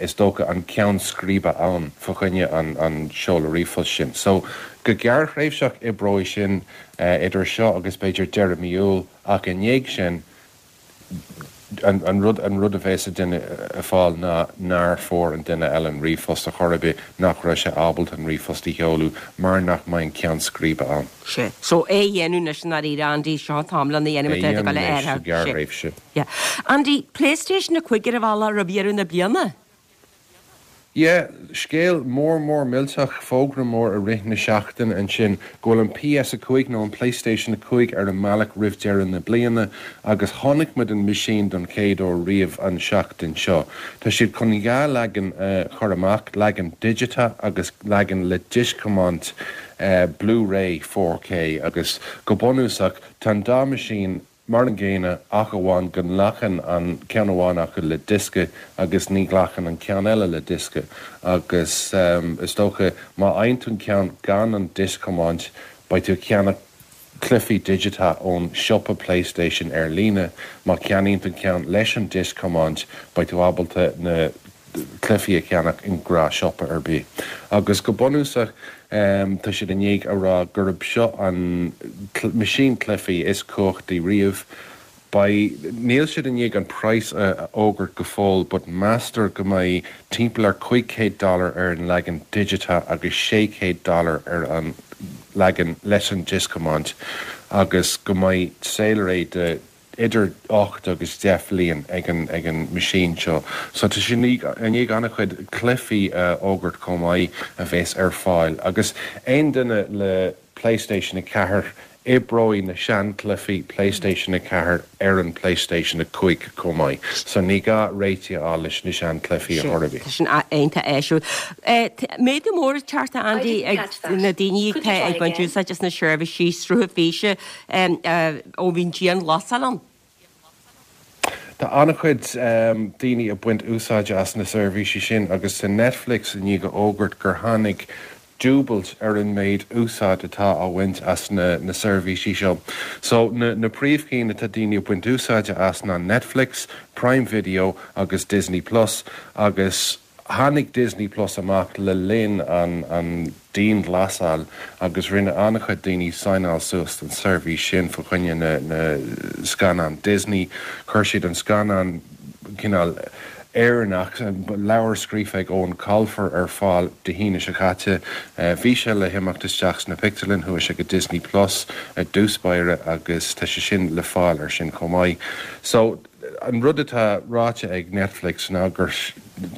is dócha, an ceann scríbe ann fá choinne an seoladh ríomhphost sin. So, go gearrthréimhseach oibreoidh sin idir seo agus b'fhéidir deireadh mí Iúil ach i ndiaidh sin, An rud an rud a bheas an duine ag fáil ná nár fuair an duine eile an ríomhphost ar chor ar bith, nach raibh sé ábalta an ríomhphost a sheoladh mar nach mbeidh an ceann scríbe ann. Sea. So, é a dhéanamh anois i ndáiríre, Andy, seo an t-am lena dhéanamh É a má tá tú ag dhéanamh dul a anois sa athrú. Sea. ghearrthréimhse. Yeah. Andy, PlayStation 5 ar an bhealach roimh dheireadh na bliana? Yeah, scéal mór mór millteach, fógra mór i rith na seachtaine ansin go bhfuil an PS5 nó an Playstation 5 ar an mbealach roimh deireadh na bliana agus chonaic muid an meaisín don chéad uair riamh an seachtain seo. Tá siad chun dhá leagan a chur amach, leagan digiteach agus leagan le dioscthiomáint Blu-ray 4K agus go bunúsach tá an dá meaisín Mar an gcéanna, ach amháin go nglacann an ceann amháin acu le diosca agus ní ghlacann an ceann eile le diosca. Agus is dócha, má fhaigheann tú an ceann gan an dioscthiomáint, beidh tú ag ceannach cluichí digiteacha ón siopa PlayStation ar líne. Má cheannaíonn tú an ceann leis an dioscthiomáint, beidh tú ábalta na. cluichí a cheannach i ngnáthshiopa ar bith. Agus go bunúsach, tá siad i ndiaidh a rá gurb seo an meaisín cluichí is cumhachtaí riamh. Beidh, níl siad i ndiaidh an praghas a fhógairt go fóill but meastar go mbeidh timpeall ar 500 dollar ar an leagan digiteach agus 600 dollar ar an leagan leis an dioscthiomáint agus go mbeidh saolré de idir 8 agus 10 bhliain ag an ag an meaisín seo. So tá siad i ndiaidh an-chuid cluichí a fhógairt chomh maith a bheas ar fáil agus aon duine le PlayStation 4, oibreoidh na seanchluichí PlayStation 4 ar an PlayStation 5 chomh maith. So ní gá réitigh a fháil leis na seanchluichí ar chor ar bith. Tá sin iontach áisiúil. Méadú mór ag teacht a Andy ag na daoine atá ag baint úsáid as na seirbhísí srutha físe ó bhí an dianghlasáil ann. Tá an-chuid daoine ag baint úsáide as na seirbhísí sin agus tá Netflix i ndiaidh a fhógairt gur tháinig dúbailt ar an méid úsáid atá á bhaint as na na seirbhísí seo. So na na príomhchinn atá daoine ag baint úsáide as ná Netflix, Prime Video agus Disney Plus agus Tháinig Disney Plus amach le linn an an dianghlasáil agus rinne an-chuid daoine signeáil suas don seirbhís sin fa choinne na na scannán Disney. Chuir siad an scannán cineál Éireannach, leabhar scríofa ag Eoin Colfer ar fáil Dé hAoine seo caite. Bhí sé le himeacht isteach sna pictiúrlann, chuaigh sé go Disney Plus i dtús báire agus tá sé sin le fáil ar sin chomh maith. So. An rud atá ráite ag Netflix ná gur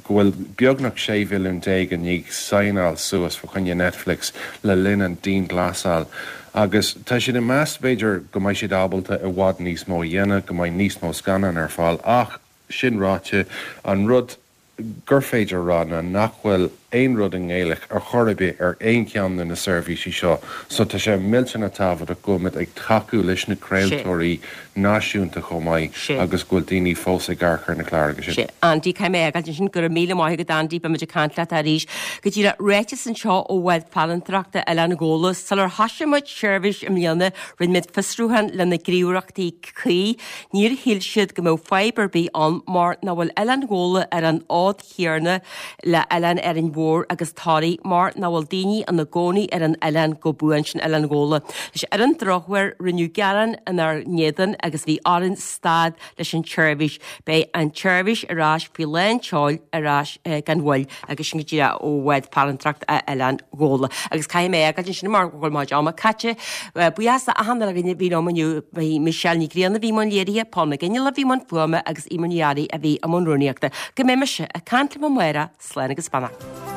go bhfuil beagnach 16 mhilliún i ndiaidh signeáil suas fa choinne Netflix le linn an dianghlasáil agus tá siad ag meas b'fhéidir go mbeidh siad ábalta i bhfad níos mó a dhéanamh, go mbeidh níos mó scannán ar fáil ach sin ráite an rud gur féidir a rá ná nach bhfuil aon rud i nGaeilge ar chor ar bith ar aon cheann de na seirbhísí seo so tá sé millteanach tábhachtach go bhfuil muid ag tacú leis na craoltóirí náisiúnta chomh maith agus go bhfuil daoine fós ag amharc ar na cláracha sin. Sea. Andy, caithfidh mé a fhágáilt ansin. Go raibh míle maith agat Andy, beidh muid ag caint leat arís. Go díreach, ráiteas anseo ó Bhád Farantóireachta Oileán Ghabhla. Sular thoisigh muid seirbhís i mbliana, rinne muid fiosrúchán le na gníomhaireachtaí cuí. Níor shíl siad go mbeadh fadhb ar bith ann mar nach bhfuil Oileán Ghabhla ar an fhód chéanna le Oileán Árainn Mhór agus Toraigh mar nach bhfuil daoine ina gcónaí ar an oileán go buan, sin Oileán Ghabhla. Anois ar an drochuair rinneadh gearán inár n-éadan agus bhí orainn stad leis an tseirbhís. Beidh an tseirbhís ar ais faoi lán tseoil ar ais gan mhoill agus sin go díreach ó Bhád Farantóireachta Oileán Ghabhla. Agus caithfidh mé a fhágáilt ansin mar go bhfuil mo chuid ama caite. Buíochas le achan duine a bhí liom inniu. Bhí Michelle Ní Ghrianna a bhí i mbun léirithe, Paul McGinley a bhí i mbun fuaime agus Eimear Ní Fhearraigh a bhí i mbun rúnaíochta. Go mbeidh mise ag caint libh amárach, slán agus beannacht.